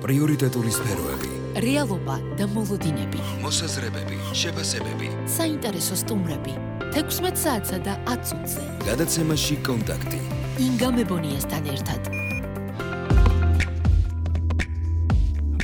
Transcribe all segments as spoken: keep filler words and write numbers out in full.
პრიორიტეტული სფეროები, რეალობა და მოლოდინები, მოსაზრებები, შეფასებები, საინტერესო სტუმრები, თექვსმეტ საათსა და ათ წუთზე. გადაცემაში კონტაქტი. ინგა მებონიასთან ერთად.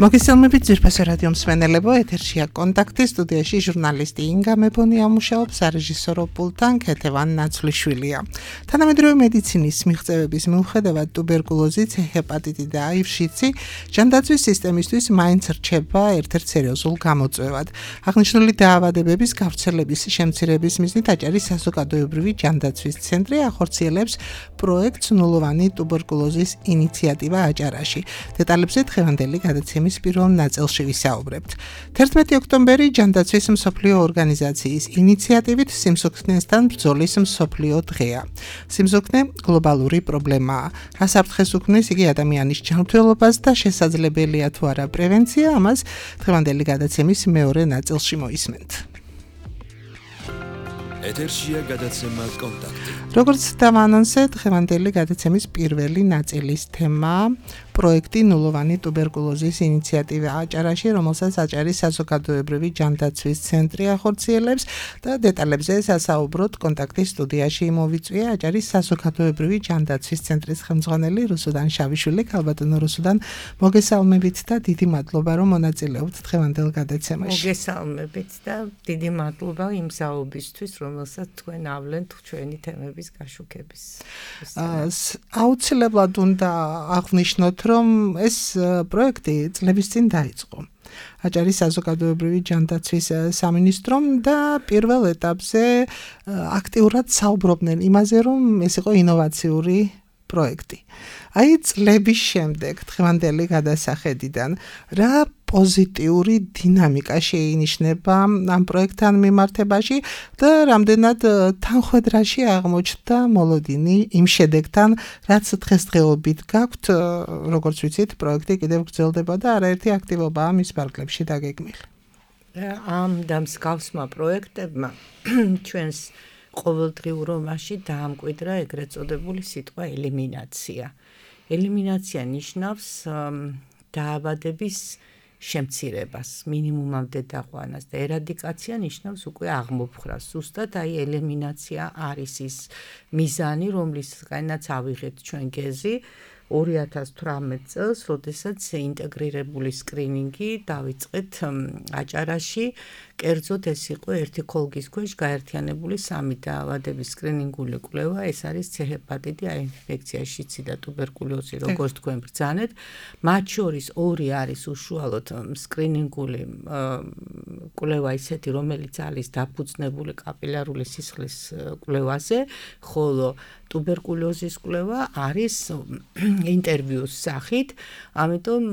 მოგესალმებით ძვირფასო რადიო მსმენელებო, ეთერშია კონტაქტი, სტუდიაში ჟურნალისტი ინგა მებონია მუშაობს, სარეჟისორო პულტთან ქეთევან ნაცვლიშვილია. თანამედროვე მედიცინის მიღწევების მიუხედავად ტუბერკულოზი, ჰეპატიტი და აივ-შიცი ჯანდაცვის სისტემისთვის მაინც რჩება ერთ-ერთ სერიოზულ გამოწვევად. აღნიშნული დაავადებების გავრცელების შემცირების მიზნით აჭარის საზოგადოებრივი ჯანდაცვის ცენტრი ახორციელებს პროექტს ნულოვანი ტუბერკულოზის ინიციატივა აჭარაში. დეტალებზე დღევანდელი გადაცემის პირველ ნაწილში ვისაუბრებთ. თერთმეტი ოქტომბერი ჯანდაცვის მსოფლიო ორგანიზაციის ინიციატივით სიმსუქნესთან ბრძოლის მსოფლიო დღეა. სიმსუქნე გლობალური პრობლემაა. რას აფრთხეს უქმნის იგი ადამიანის ჯანმრთელობას და შესაძლებელია თუ არა პრევენცია, ამას დღევანდელი გადაცემის მეორე ნაწილში მოისმენთ. ეთერშია გადაცემა კონტაქტი. როგორც დავანონსე, დღევანდელი გადაცემის პირველი ნაწილის თემაა პროექტი ნულოვანი ტუბერკულოზის ინიციატივა აჭარაში, რომელსაც აჭარის საზოგადოებრივი ჯანდაცვის ცენტრი ახორციელებს და დეტალებზე სასაუბროთ კონტაქტის სტუდიაში მოვიწვია აჭარის საზოგადოებრივი ჯანდაცვის ცენტრის ხელმძღვანელი რუსუდან შავიშვილი. ქალბატონო რუსუდან, მოგესალმებით და დიდი მადლობა რომ მონაწილეობთ დღევანდელ გადაცემაში. მოგესალმებით და დიდი მადლობა იმ საუბრისთვის, რომელსაც თქვენ ავლენთ ჩვენი თემების გაშუქების. აუცილებლად უნდა აღვნიშნოთ, რომ ეს პროექტი წლების წინ დაიწყო. აჭარის საზოგადოებრივი ჯანდაცვის სამინისტრომ და პირველ ეტაპზე აქტიურად საუბრობდნენ იმაზე, რომ ეს იყო ინოვაციური პროექტი. აი წლების შემდეგ დღევანდელი გადასახედიდან რა პოზიტიური დინამიკა შეინიშნება ამ პროექტთან მიმართებაში და რამდენად თანხვედრაში აღმოჩნდა მოლოდინი იმ შედეგთან, რაც დღესდღეობით გაქვთ, როგორც ვიცით, პროექტი კიდევ გრძელდება და არაერთი აქტივობაა მის ფარგლებში დაგეგმილი. ამ დამსგავსმა პროექტებმა ჩვენს ყოველდღიურობაში დაამკვიდრა ეგრეთ წოდებული სიტყვა ელიმინაცია. ელიმინაცია ნიშნავს დაავადების შემცირებას, მინიმუმამდე დაყვანას და ერადიკაცია ნიშნავს უკვე აღმოფხრას. ზუსტად აი ელიმინაცია არის ის მიზანი, რომლისგანაც ავიღეთ ჩვენ გეზი ორი ათას თვრამეტ წელს, როდესაც ინტეგრირებული სკრინინგი დავიწყეთ აჭარაში. კერძოდ ეს იყო ერთი ქოლგის ქვეშ გაერთიანებული სამი დაავადების სკრინინგული კვლევა, ეს არის ცეჰეპატიტი, აინფექცია, შიცი და ტუბერკულოზი, როგორც თქვენ ბრძანეთ. მათ შორის ორი არის უშუალოდ სკრინინგული კვლევა ისეთი, რომელიც არის დაფუძნებული კაპილარული სისხლის კვლევაზე, ხოლო ტუბერკულოზის კვლევა არის ინტერვიუს სახით, ამიტომ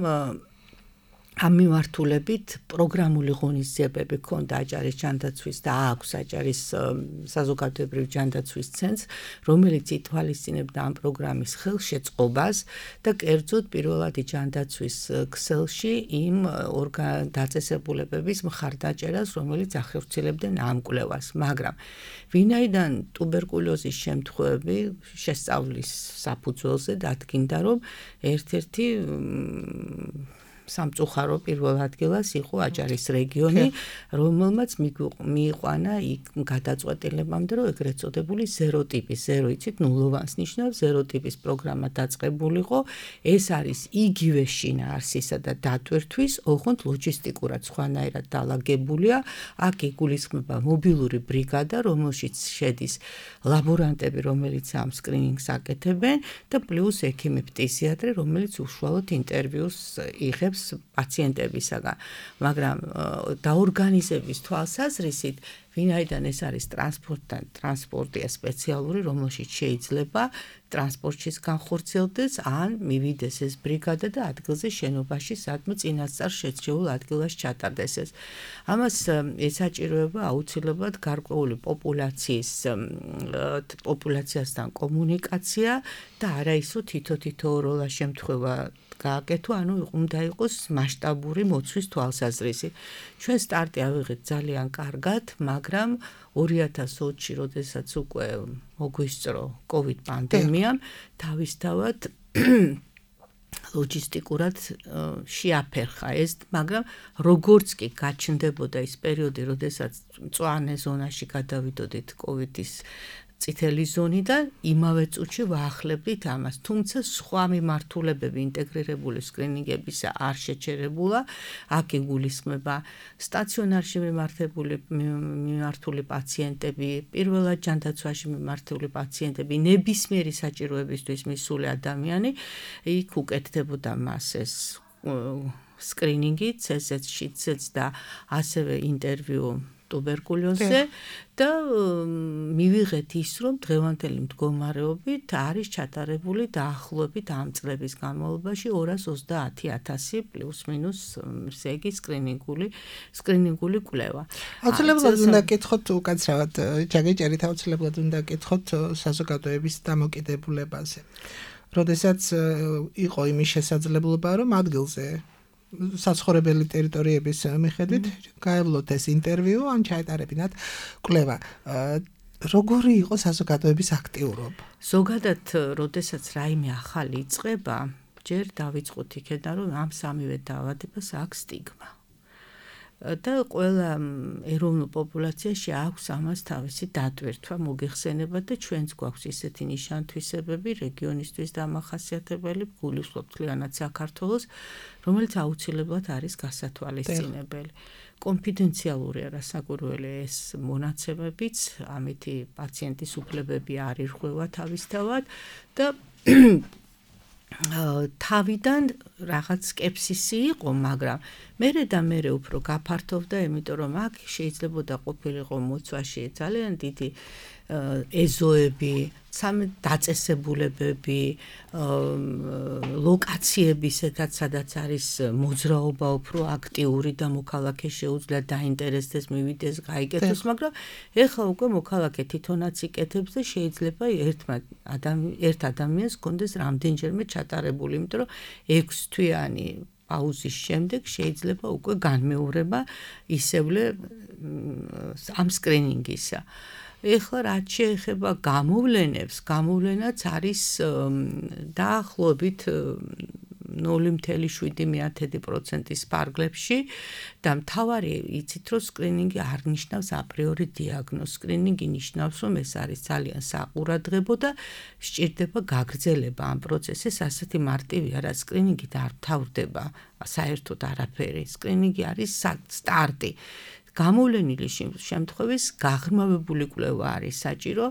ამ მიმართულებით პროგრამული ღონისძიებები ჰქონდა აჭარის ჯანდაცვის და აქვს აჭარის საზოგადოებრივი ჯანდაცვის ცენტრს, რომელიც ითვალისწინებდა ამ პროგრამის ხელშეწყობას და კერძოდ პირველადი ჯანდაცვის ქსელში იმ დაწესებულებების მხარდაჭერას, რომელიც ახორციელებდნენ ამ კვლევას, მაგრამ ვინაიდან ტუბერკულოზის შემთხვევები შესწავლის საფუძველზე დადგინდა, რომ ერთ-ერთი სამწუხარო პირველ ადგილას იყო აჭარის რეგიონი, რომელმაც მიიყვანა იქ გადაწყვეტილებამდე, რომ ეგრეთ წოდებული ზერო ტიპის, ზერო იცით, ნულოვანს ნიშნავს, ზერო ტიპის პროგრამა დაწყებულიყო. ეს არის იგივე შინაარსისა და დატვირთვის, ოღონდ ლოჯისტიკურად სხვანაირად დალაგებულია. აქ იგულისხმება მობილური ბრიგადა, რომელშიც შედის ლაბორანტები, რომელიც ამ სკრინინგს აკეთებენ და პლუს ექიმი ფტიზიატრი, რომელიც უშუალოდ ინტერვიუს იღებს პაციენტებისაგან, მაგრამ დაორგანიზების თვალსაზრისით ვინაიდან ეს არის ტრანსპორტთან, ტრანსპორტია სპეციალური, რომელშიც შეიძლება ტრანსპორტშიც განხორციელდეს, ან მივიდეს ეს ბრიგადა და ადგილზე შენობაში, სადმე წინასწარ შეჩეულ ადგილას ჩატარდეს ეს. ამას ესაჭიროება აუცილებლად გარკვეული პოპულაციის პოპულაციასთან კომუნიკაცია და არა ისო თითო-თითოეულა შემთხვევა გააკეთო, ანუ უნდა იყოს მასშტაბური მოცვის თვალსაზრისით. ჩვენ სტარტი ავიღეთ ძალიან კარგად, მაგრამ ორი ათას ოცი, როდესაც უკვე მოგვისწრო კოვიდ პანდემიამ, თავისთავად ლოჯისტიკურად შეაფერხა ეს, მაგრამ როგორც კი გაჩნდებოდა ის პერიოდი, როდესაც მწვანე ზონაში გადავიდოდით კოვიდის წითელი ზონიდან, იმავე წუთში ვაახლებდით ამას. თუმცა სხვა მიმართულებები ინტეგრირებული სკრინინგებისა არ შეჩერებულა. აქ იგულისხმება სტაციონარში მიმართებული მიმართული პაციენტები, პირველად ჯანდაცვაში მიმართული პაციენტები, ნებისმიერი საჭიროებისთვის მისული ადამიანი, იქ უკეთდებოდა მას ეს სკრინინგი, ცეზეც-შიცეც და ასევე ინტერვიუ ტუბერკულოზზე და მივიღეთ ის, რომ დღევანდელი მდგომარეობით არის ჩატარებული დაახლოებით ამ წლების განმავლობაში ორას ოცდაათი ათასი პლუს მინუს ესე იგი სკრინინგული სკრინინგული კვლევა. აუცილებლად უნდა გკითხოთ უკაცრავად ჯაგეჭერით აუცილებლად უნდა გკითხოთ საზოგადოების დამოკიდებულებაზე. როდესაც იყო იმის შესაძლებლობა, რომ ადგილზე საცხოვრებელი ტერიტორიების მიხედვით გაევლოთ ეს ინტერვიუ ან ჩაეტარებინათ კვლევა. როგორი იყო საზოგადოების აქტიურობა? ზოგადად, როდესაც რაიმე ახალი იწყება, ჯერ დავიწყოთ იქიდან, რომ ამ სამივე დაავადებას აქვს სტიგმა. და ყველა ეროვნულ პოპულაციაში აქვს ამას თავისი დატვირთვა, მოგეხსენება და ჩვენც გვაქვს ისეთი ნიშან-თვისებები რეგიონისთვის დამახასიათებელი, გულისხმობ მთლიანად საქართველოს, რომელიც აუცილებლად არის გასათვალისწინებელი. კონფიდენციალურია რასაკვირველი ეს მონაცემებიც, ამითი პაციენტის უფლებები არ ირღვევა თავისთავად და თავიდან რაღაც სკეპსისი იყო, მაგრამ მერე და მერე უფრო გაფართოვდა, იმიტომ რომ აქ შეიძლებოდა ყოფილიყო მოცვაში ძალიან დიდი ეზოები, დაწესებულებები, ლოკაციები, სადაც არის მოძრაობა უფრო აქტიური და მოქალაქე შეუძლია დაინტერესდეს, მივიდეს, გაიკეთოს, მაგრამ ეხლა უკვე მოქალაქე თვითონაც იკეთებს და შეიძლება ერთ ადამიანს კონდეს რამდენჯერმე ჩატარებული, იმიტომ რომ ექვსთვიანი პაუზის შემდეგ შეიძლება უკვე განმეორება ისევლე ამ სკრინინგისა. ეხლა რაც შეეხება გამოვლენებს, გამოვლენაც არის დაახლოებით ნული მცდარი შვიდი პროცენტის ფარგლებში და მთავარი იცით, რომ სკრინინგი არ ნიშნავს აპრიორი დიაგნოზს. სკრინინგი ნიშნავს, რომ ეს არის ძალიან საყურადღებო და სჭირდება გაგრძელება ამ პროცესის, ასეთი მარტივი არა, სკრინინგით არ თავდება საერთოდ არაფერი. სკრინინგი არის სტარტი. გამოვლენილი შემთხვევის გაღრმავებული კვლევა არის საჭირო,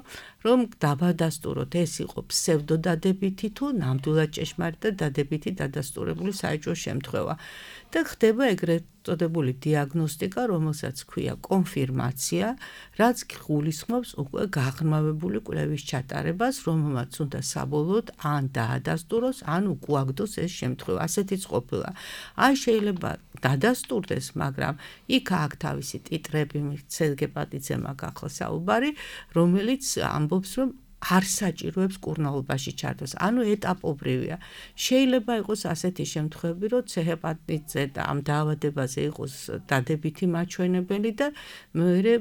რომ დაბადასტუროთ ეს იყო ფსევდოდადებითი თუ ნამდვილად ჭეშმარიტად დადებითი დადასტურებული საეჭვო შემთხვევა. და ხდება ეგრეთ წოდებული დიაგნოსტიკა, რომელსაც ქვია კონფირმაცია, რაც გულისხმობს უკვე გაღრმავებული კვლევის ჩატარებას, რომელმაც უნდა საბოლოოდ ან დაადასტუროს, ან უკუაგდოს ეს შემთხვევა. ასეთიც ყოფილა. ან შეიძლება დადასტურდეს, მაგრამ იქ აქ თავისი ტიტრები, სერგე პატიძე მაქვს ახლა საუბარი, რომელიც ამბობს, რომ არ საჭიროებს კურნალობაში ჩართვას. ანუ ეტაპობრივია. შეიძლება იყოს ასეთი შემთხვევები, რომ ცეჰეპატიტზე და ამ დაავადებაზე იყოს დადებითი მაჩვენებელი და მეორე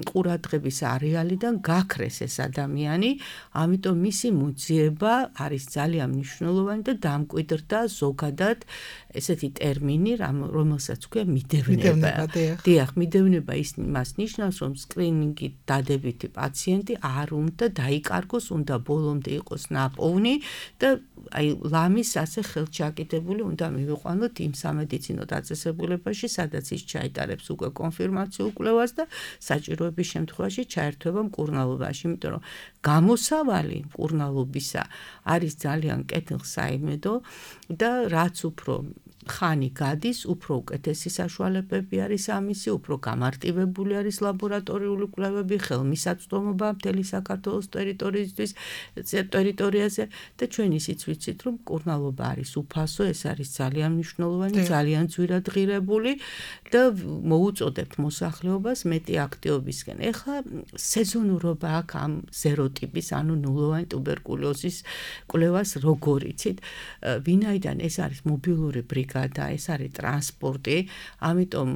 ყურადღების არეალიდან გაქრეს ეს ადამიანი, ამიტომ მისი მოძიება არის ძალიან მნიშვნელოვანი და დამკვიდრდა ზოგადად ესეთი ტერმინი, რომელსაც ქვია მიდევნება. დიახ, მიდევნება ის მას ნიშნავს, რომ სკრინინგით დადებითი პაციენტი არ უნდა დაიკარგოს, უნდა ბოლომდე იყოს ნაპოვნი და აი ლამის ასე ხელჩაკიდებული უნდა მივიყვანოთ იმ სამედიცინო დაწესებულებაში, სადაც ის ჩაიტარებს უკვე კონფირმაციულ კვლევას და საჭიროების შემთხვევაში ჩაერთვება მკურნალობაში, იმიტომ რომ გამოსავალი მკურნალობისა არის ძალიან კეთილსაიმედო და რაც უფრო ხანი გადის, უფრო უკეთესი საშუალებები არის ამისი, უფრო გამარტივებული არის ლაბორატორიული კვლევები, ხელმისაწვდომობა მთელი საქართველოს ტერიტორიისთვის, ტერიტორიაზე და ჩვენ ისიც ვიცით, რომ მკურნალობა არის უფასო, ეს არის ძალიან მნიშვნელოვანი, ძალიან ძვირად ღირებული და მოუწოდებთ მოსახლეობას მეტი აქტივობისკენ. ეხლა სეზონურობა აქვს ამ ზეროტიპის, ანუ ნულოვანი ტუბერკულოზის კვლევას როგორ იცით, ვინაიდან ეს არის მობილური ბრიგადა ბრიგადა, ეს არის ტრანსპორტი, ამიტომ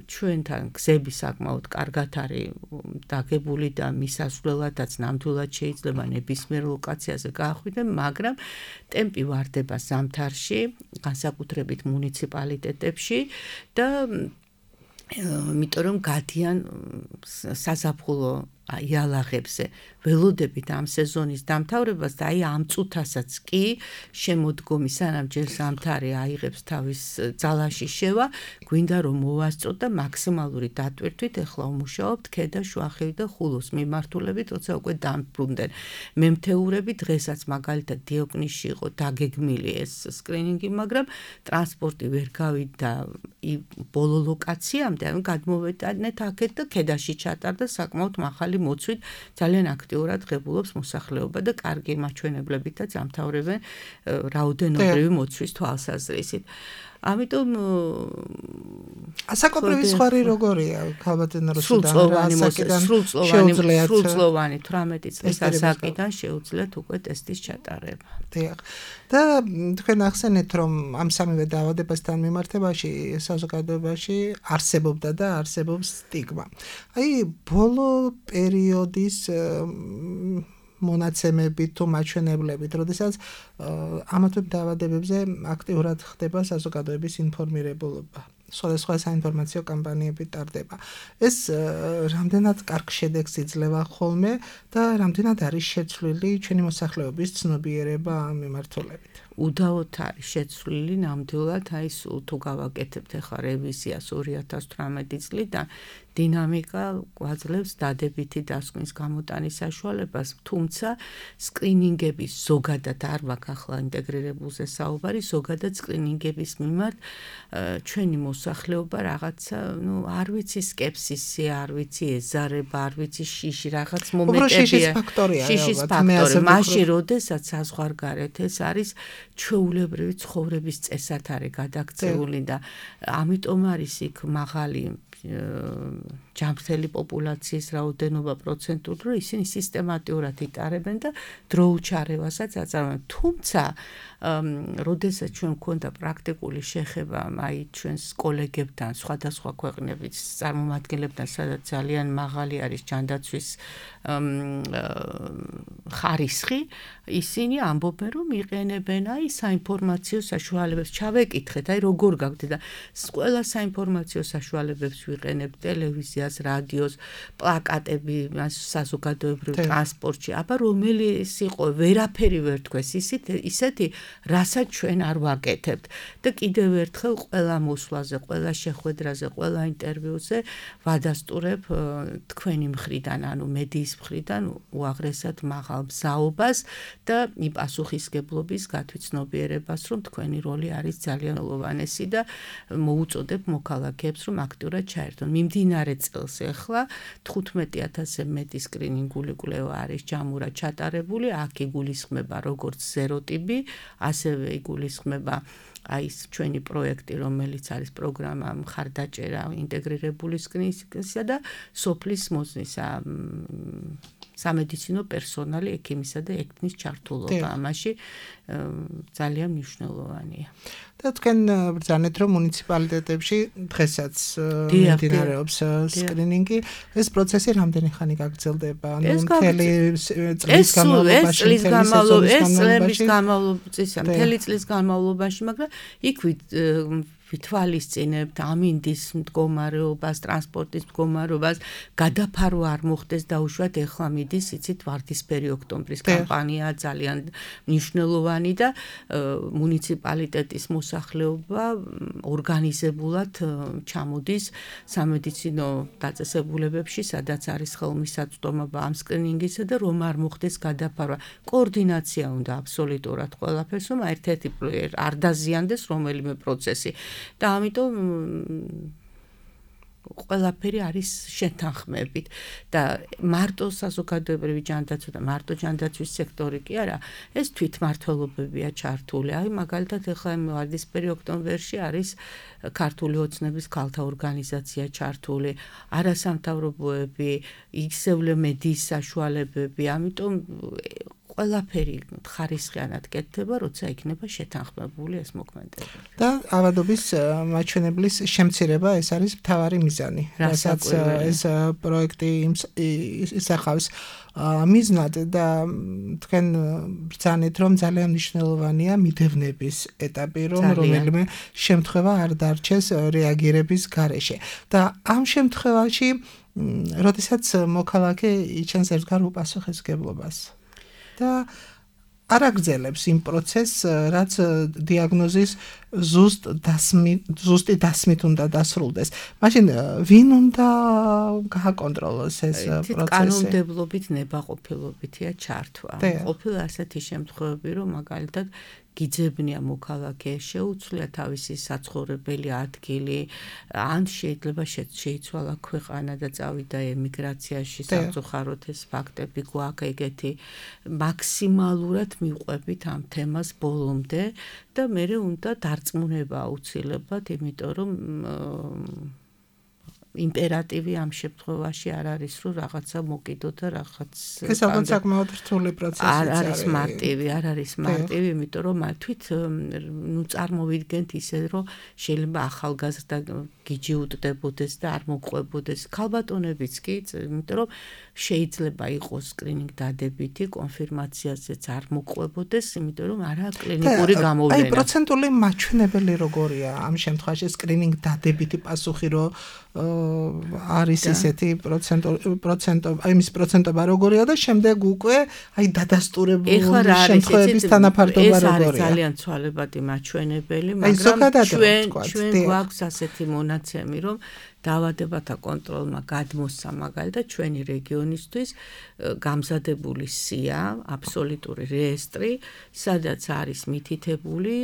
ჩვენთან გზები საკმაოდ კარგად არის დაგებული და მისასვლელადაც ნამდვილად შეიძლება ნებისმიერ ლოკაციაზე გაახვიდე, მაგრამ ტემპი ვარდება ზამთარში, განსაკუთრებით მუნიციპალიტეტებში და იმიტომ რომ გადიან საზაფხულო იალაღებზე ველოდებით ამ სეზონის დამთავრებას და აი ამ წუთასაც კი შემოდგომი სანამ ჯერ ზამთარი აიღებს თავის ძალაში შევა, გვინდა რომ მოვასწროთ და მაქსიმალური დატვირთვით ეხლა ვმუშაობთ ქედა, შუახევი და ხულოს მიმართულებით, როცა უკვე დამბრუნდნენ მემთეურები, დღესაც მაგალითად დიოკნისში იყო დაგეგმილი ეს სკრინინგი, მაგრამ ტრანსპორტი ვერ გავიდა ბოლო ლოკაციამდე, ანუ გადმოვეტანეთ აქეთ და ქედაში ჩატარდა საკმაოდ მაღალი მოცვით ძალიან აქტიურად ღებულობს მოსახლეობა და კარგი მაჩვენებლებითაც ამთავრებენ რაოდენობრივი მოცვის თვალსაზრისით. ამიტომ ასაკობრივი სხვარი როგორია ქალბატონო სრულწლოვანი სრულწლოვანი თვრამეტი წლის ასაკიდან შეუძლიათ უკვე ტესტის ჩატარება. დიახ. და თქვენ ახსენეთ რომ ამ სამივე დაავადებასთან მიმართებაში საზოგადოებაში არსებობდა და არსებობს სტიგმა. აი ბოლო პერიოდის მონაცემებით თუ მაჩვენებლებით, როდესაც ამ დაავადებებზე აქტიურად ხდება საზოგადოების ინფორმირებულობა. სხვადასხვა საინფორმაციო კამპანიები ტარდება. ეს რამდენად კარგ შედეგს იძლევა ხოლმე და რამდენად არის შეცვლილი ჩვენი მოსახლეობის ცნობიერება ამ მიმართულებით. უდაოდ არის შეცვლილი ნამდვილად, აი სულ თუ გავაკეთებთ ახლა რევიზიას ორი ათას თვრამეტი წლიდან დინამიკა გვაძლევს დადებითი დასკვნის გამოტანის საშუალებას, თუმცა სკრინინგების ზოგადად არ მაქვს ახლა ინტეგრირებულზე საუბარი, ზოგადად სკრინინგების მიმართ ჩვენი მოსახლეობა რაღაცა, ну, არ ვიცი სკეპსისი, არ ვიცი ეზარება, არ ვიცი შიში, რაღაც მომენტებია. შიშის ფაქტორია. შიშის ფაქტორი, მაშინ როდესაც საზღვარგარეთ ეს არის ჩვეულებრივი ცხოვრების წესად არის გადაქცეული და ამიტომ არის იქ მაღალი ჯანმრთელი პოპულაციის რაოდენობა პროცენტული, რომ ისინი სისტემატიურად იტარებენ და დროუჩარევასაც აწარმოებენ. თუმცა, როდესაც ჩვენ გვქონდა პრაქტიკული შეხება აი ჩვენს კოლეგებთან, სხვადასხვა ქვეყნების წარმომადგენლებთან, სადაც ძალიან მაღალი არის ჯანდაცვის ხარისხი, ისინი ამბობენ, რომ იყენებენ აი საინფორმაციო საშუალებებს. ჩავეკითხეთ, აი როგორ გაგვდეთ და ყველა საინფორმაციო საშუალებებს ვიყენებ ტელევიზიას, რადიოს, პლაკატები, საზოგადოებრივ ტრანსპორტში. აბა რომელიც იყო, ვერაფერი ვერ თქვეს, ისეთი, რასაც ჩვენ არ ვაკეთებთ. და კიდევ ერთხელ ყველა მოსვლაზე, ყველა შეხვედრაზე, ყველა ინტერვიუზე ვადასტურებ თქვენი მხრიდან, ანუ მედიის მხრიდან უაღრესად მაღალ მზაობას და პასუხისგებლობის გათვითცნობიერებას, რომ თქვენი როლი არის ძალიან ულოვანესი და მოუწოდებ მოქალაქეებს, რომ აქტიურად ჩაერთონ. მიმდინარე წელს ახლა თხუთმეტი ათასზე მეტი სკრინინგული კვლევა არის ჯამურად ჩატარებული, აქ იგულისხმება როგორც ზეროტიპი, ასევე იგულისხმება აი ეს ჩვენი პროექტი, რომელიც არის პროგრამა მხარდაჭერა ინტეგრირებული სკრინინგისა და სოფლის მოზნისა სამედიცინო პერსონალი, ექიმისა და ექიმის ჩართულობა ამაში ძალიან მნიშვნელოვანია. და თქვენ ბრძანეთ, რომ მუნიციპალიტეტებში დღესაც მიმდინარეობს სკრინინგი, ეს პროცესი რამდენი ხანი გაგრძელდება? ანუ მთელი წლის განმავლობაში, წლის განმავლობაში, მთელი წლის განმავლობაში, მაგრამ იქ ვითვალისწინებთ ამინდის მდგომარეობას, ტრანსპორტის მდგომარეობას, გადაფარვა არ მოხდეს დაუშვათ ეხლა მიდის, იცით, ვარდისფერი ოქტომბრის კამპანია ძალიან მნიშვნელოვანი და მუნიციპალიტეტის მოსახლეობა ორგანიზებულად ჩამოდის სამედიცინო დაწესებულებებში, სადაც არის ხელმისაწვდომობა ამ სკრინინგისა და რომ არ მოხდეს გადაფარვა. კოორდინაცია უნდა აბსოლუტურად ყველაფერს, რომ ერთ-ერთი არ დაზიანდეს რომელიმე პროცესი. და ამიტომ ყველაფერი არის შეთანხმებით და მარტო საზოგადოებრივი ჯანდაცვა და მარტო ჯანდაცვის სექტორი კი არა, ეს თვითმმართველობებია ჩართული. აი მაგალითად ახლა ვარდისფერი ოქტომბერში არის ქართული ოცნების ქალთა ორგანიზაცია ჩართული, არასამთავრობოები, ისევლე მედიის საშუალებები, ამიტომ ყველაფერი ხარისხიანად კეთდება, როცა იქნება შეთანხმებული ეს მოქმედებები. და ავადობის მაჩვენებლის შემცირება ეს არის მთავარი მიზანი. რასაც ეს პროექტი ისახავს მიზნად და თქვენ ბრძანეთ რომ ძალიან მნიშვნელოვანია მიდევნების ეტაპი რომ რომელიმე შემთხვევა არ დარჩეს რეაგირების გარეშე და ამ შემთხვევაში როდესაც მოქალაქე იჩენს ერთგვარ უპასუხისმგებლობას და არ აგრძელებს იმ პროცესს, რაც დიაგნოზის ზუსტ დასმით, ზუსტი დასმით უნდა დასრულდეს. მაშინ ვინ უნდა გააკონტროლოს ეს პროცესი? კანონმდებლობით ნებაყოფილობითია ჩართვა. ყოფილა ასეთი შემთხვევები, რომ მაგალითად გიძებნია მოქალაქე, შეუცვლია თავისი საცხოვრებელი ადგილი, ან შეიძლება შეიცვალა ქვეყანა და წავიდა ემიგრაციაში, სამწუხაროდ ეს ფაქტები გვაქვს ეგეთი. მაქსიმალურად მივყვებით ამ თემას ბოლომდე და მე უნდა დარწმუნება აუცილებლად, იმიტომ რომ იმპერატივი ამ შემთხვევაში არ არის რომ რაღაცა მოკიდო და რაღაც ეს ალბათ საკმაოდ რთული პროცესია. არ არის მარტივი, არ არის მარტივი, იმიტომ რომ თვით ნუ წარმოვიდგენთ ისე რომ შეიძლება ახალგაზრდა გიჯი უტდებოდეს და არ მოყვებოდეს. ქალბატონებიც კი, იმიტომ რომ შეიძლება იყოს სკრინინგ დადებითი, კონფირმაციაზეც არ მოყვებოდეს, იმიტომ რომ არაა კლინიკური გამოვლენა. აი პროცენტული მაჩვენებელი როგორია ამ შემთხვევაში სკრინინგ დადებითი პასუხი რომ არის ისეთი პროცენტო აი მის პროცენტობა როგორია და შემდეგ უკვე აი დადასტურებული შემთხვევების თანაფარდობა როგორია. ეს არის ძალიან ცვალებადი მაჩვენებელი, მაგრამ ჩვენ ჩვენ გვაქვს ასეთი მონაცემი, რომ დაავადებათა კონტროლმა გადმოსცა მაგალითად ჩვენი რეგიონისთვის გამზადებული სია, აბსოლუტური რეესტრი, სადაც არის მითითებული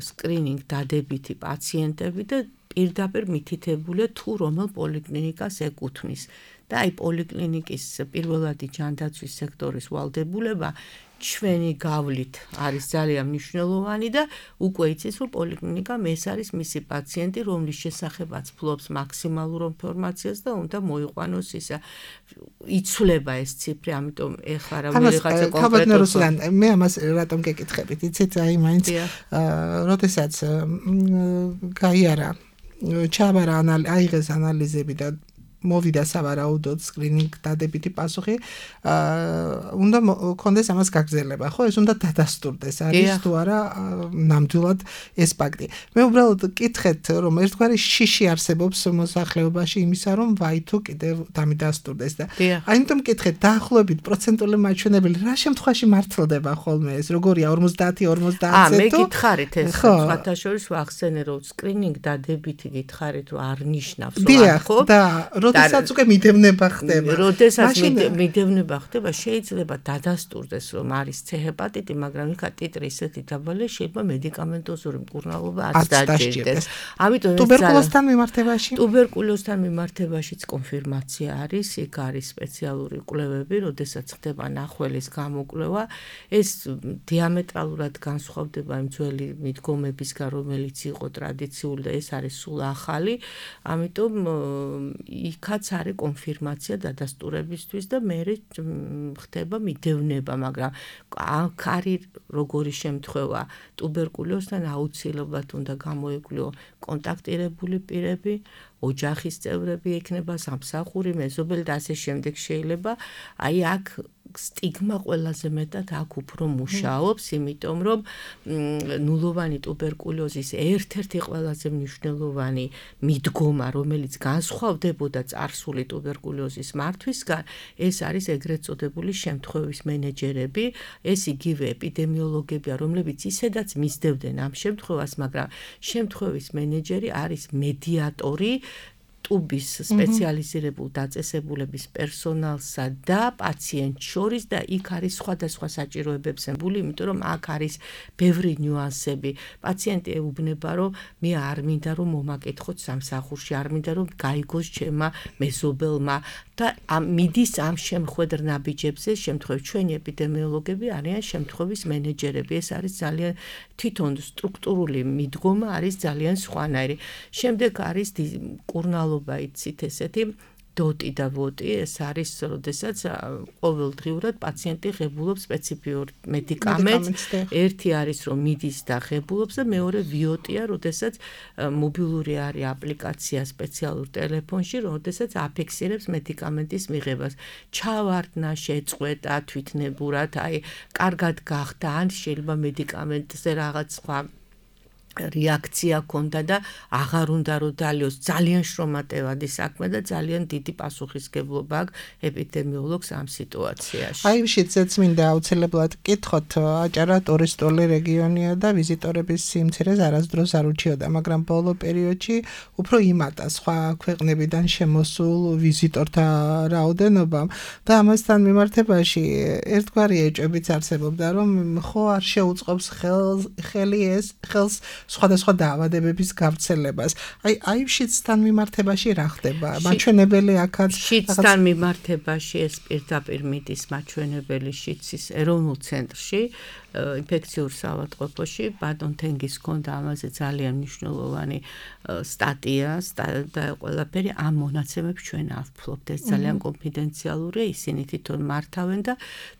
სკრინინგ დადებითი პაციენტები და პირდაპირ მითითებულია თუ რომელ პოლიკლინიკას ეკუთვნის. და აი პოლიკლინიკის პირველადი ჯანდაცვის სექტორის ვალდებულება ჩვენი გავლით არის ძალიან მნიშვნელოვანი და უკვე იცის რომ პოლიკლინიკამ ეს არის მისი პაციენტი, რომლის შესახებაც ფლობს მაქსიმალურ ინფორმაციას და უნდა მოიყვანოს ისა. იცვლება ეს ციფრი, ამიტომ ეხლა რა ვიღაცა კონკრეტულად მე ამას რატომ გეკითხებით, იცით, აი მაინც როდესაც გაიარა ჩაბარა აიღეს ანალიზები და მოვიდა სავარაუდოდ სკრინინგ დადებითი პასუხი, უნდა კონდეს ამას გაგრძელება, ხო? ეს უნდა დადასტურდეს, არის თუ არა ნამდვილად ეს ფაქტი. მე უბრალოდ კითხეთ, რომ ერთგვარი შიში არსებობს მოსახლეობაში იმისა, რომ ვაი თუ კიდევ დამიდასტურდეს და აიმიტომ კითხეთ, დაახლოებით პროცენტული მაჩვენებელი რა შემთხვევაში მართლდება ხოლმე ეს, როგორია ორმოცდაათი ორმოცდაათზე თუ? მე გითხარით ეს, სხვათა შორის ვახსენე, რომ სკრინინგ დადებითი გითხარით, რომ არ ნიშნავს, ხო? და როდესაც უკვე მიდევნება ხდება. როდესაც მიდევნება ხდება, შეიძლება დადასტურდეს, რომ არის C ჰეპატიტი, მაგრამ იქა ტიტრი ისეთი დაბალი, შეიძლება მედიკამენტოზური მკურნალობა არც დაჭირდეს. ამიტომ ტუბერკულოზთან მიმართებაში? ტუბერკულოზთან მიმართებაშიც კონფირმაცია არის, იქ არის სპეციალური კვლევები, როდესაც ხდება ნახველის გამოკვლევა, ეს დიამეტრალურად განსხვავდება იმ ძველი მიდგომებისგან, რომელიც იყო ტრადიციული და ეს არის სულ ახალი, ამიტომ იქაც არის კონფირმაცია დადასტურებისთვის და მე ხდება მიდევნება, მაგრამ აქ არის როგორი შემთხვევა ტუბერკულოზთან აუცილებლად უნდა გამოიკვლიო კონტაქტირებული პირები, ოჯახის წევრები ექნება, სამსახური, მეზობელი და ასე შემდეგ შეიძლება. აი აქ სტიგმა ყველაზე მეტად აქ უფრო მუშაობს, იმიტომ რომ ნულოვანი ტუბერკულოზის ერთ-ერთი ყველაზე მნიშვნელოვანი მიდგომა, რომელიც განსხვავდებოდა წარსული ტუბერკულოზის მართვისგან, ეს არის ეგრეთ წოდებული შემთხვევის მენეჯერები, ეს იგივე ეპიდემიოლოგებია, რომლებიც ისედაც მისდევდნენ ამ შემთხვევას, მაგრამ შემთხვევის მენეჯერი არის მედიატორი ტუბის სპეციალიზირებულ დაწესებულების პერსონალსა და პაციენტ შორის და იქ არის სხვადასხვა საჭიროებებს ემბული, იმიტომ რომ აქ არის ბევრი ნიუანსები. პაციენტი ეუბნება, რომ მე არ მინდა რომ მომაკითხოთ სამსახურში, არ მინდა რომ გაიგოს ჩემმა მეზობელმა და მიდის ამ შემხვედრ ნაბიჯებზე, შემთხვევით ჩვენი ეპიდემიოლოგები არიან შემთხვევის მენეჯერები. ეს არის ძალიან თვითონ სტრუქტურული მიდგომა არის ძალიან სხვანაირი. შემდეგ არის კურნალობა იცით ესეთი დოტი და ვოტი ეს არის, როდესაც ყოველდღიურად პაციენტი ღებულობს სპეციფიურ მედიკამენტს. ერთი არის რომ მიდის და ღებულობს და მეორე ვიოტია, როდესაც მობილური არის აპლიკაცია სპეციალურ ტელეფონში, როდესაც აფიქსირებს მედიკამენტის მიღებას. ჩავარდნა, შეწყვეტა თვითნებურად, აი, კარგად გახდა, ან შეიძლება მედიკამენტზე რაღაც სხვა რეაქცია ქონდა და აღარ უნდა რომ დალიოს. ძალიან შრომატევადი საქმე და ძალიან დიდი პასუხისგებლობა აქვს ეპიდემიოლოგს ამ სიტუაციაში. აი, შეიძლება მინდა აუცილებლად გკითხოთ, აჭარა ტურისტული რეგიონია და ვიზიტორების სიმცირეს არასდროს არ უჩიოდა, მაგრამ ბოლო პერიოდში უფრო იმატა სხვა ქვეყნებიდან შემოსულ ვიზიტორთა რაოდენობა და ამასთან მიმართებაში ერთგვარი ეჭვებიც არსებობდა, რომ ხო არ შეუწყობს ხელი ეს ხელს სხვადასხვა დაავადებების გავრცელებას. აი, აი შიდსთან მიმართებაში რა ხდება? მაჩვენებელი აქაც შიდსთან მიმართებაში ეს პირდაპირ მიდის მაჩვენებელი შიდსის ეროვნულ ცენტრში, ინფექციურ საავადმყოფოში. ბატონ თენგის ჰქონდა ამაზე ძალიან მნიშვნელოვანი სტატია და ყველაფერი ამ მონაცემებს ჩვენ ავფლობთ. ეს ძალიან კონფიდენციალურია, ისინი თვითონ მართავენ და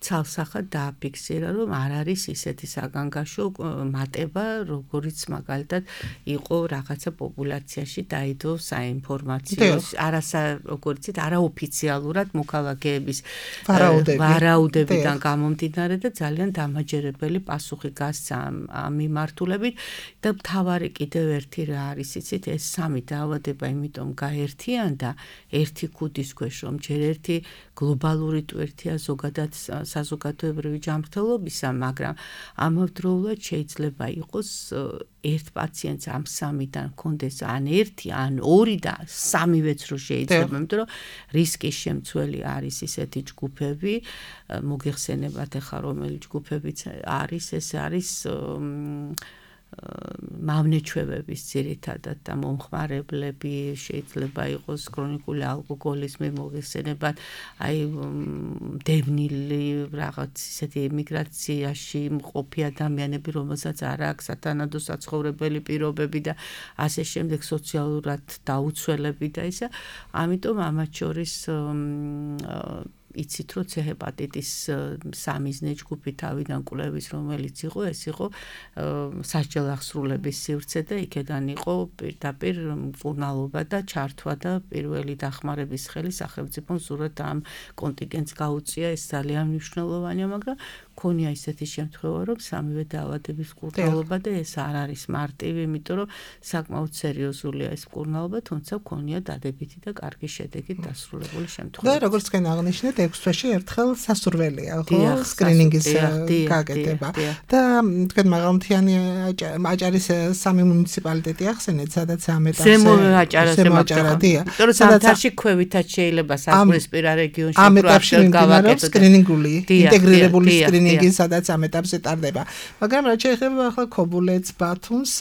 ცალსახად დააფიქსირა, რომ არ არის ისეთი საგანგაშო მატება, როგორიც მაგალითად იყო რაღაცა პოპულაციაში დაიდო საინფორმაციო, არასა როგორიც არაოფიციალურად მოქალაქეების ვარაუდებიდან გამომდინარე და ძალიან დამაჯერებელი პასუხი გასცა ამ მიმართულებით და მთავარი კიდევ ერთი რა არის, იცით, ეს სამი დაავადება იმიტომ გაერთიანდა ერთი ქუდის ქვეშ, რომ ჯერ ერთი გლობალური ტვირთია ზოგადად საზოგადოებრივი ჯანმრთელობისა, მაგრამ ამავდროულად შეიძლება იყოს ერთ პაციენტს ამ სამიდან ჰქონდეს ან ერთი, ან ორი და სამივეც რო შეიძლება, იმიტომ რომ რისკის შემცველი არის ისეთი ჯგუფები, მოგეხსენებათ ახლა რომელი ჯგუფებიც არის, ეს არის მავნეჩვევების ძირითადად და მომხმარებლები, შეიძლება იყოს ქრონიკული ალკოჰოლიზმი, მოგეხსენებათ, აი დევნილი რაღაც ისეთი ემიგრაციაში მყოფი ადამიანები, რომელსაც არ აქვს სათანადო საცხოვრებელი პირობები და ასე შემდეგ, სოციალურად დაუცველები და ისა. ამიტომ ამათ შორის იცით, რომ C ჰეპატიტის სამიზნე ჯგუფი თავიდან კვლევის, რომელიც იყო, ეს იყო სასჯელ-აღსრულების სივრცე და იქედან იყო პირდაპირ მკურნალობა და ჩართვა და პირველი დახმარების ხელი სახელმწიფომ ზურად ამ კონტინგენტს გაუწია, ეს ძალიან მნიშვნელოვანია, მაგრამ ქონია ისეთი შემთხვევა, რომ სამივე დაავადების მკურნალობა და ეს არ არის მარტივი, იმიტომ რომ საკმაოდ სერიოზულია ეს მკურნალობა, თუმცა ქონია დადებითი და კარგი შედეგით დასრულებული შემთხვევა. და როგორც თქვენ აღნიშნეთ, ექვს თვეში ერთხელ სასურველია, ხო, სკრინინგის გაკეთება. და თქვენ მაღალმთიანი აჭარის სამი მუნიციპალიტეტი ახსენეთ, სადაც ამ ეტაპზე ზემო აჭარა, ზემო აჭარადია. იმიტომ რომ ზამთარში ქვევითაც შეიძლება საზღვრისპირა რეგიონში ამ ეტაპში მიმდინარეობს სკრინინგული, ინტეგრირებული სკრინინგი, სადაც ამ ეტაპზე ტარდება. მაგრამ რა შეიძლება ახლა ქობულეთს, ბათუმს,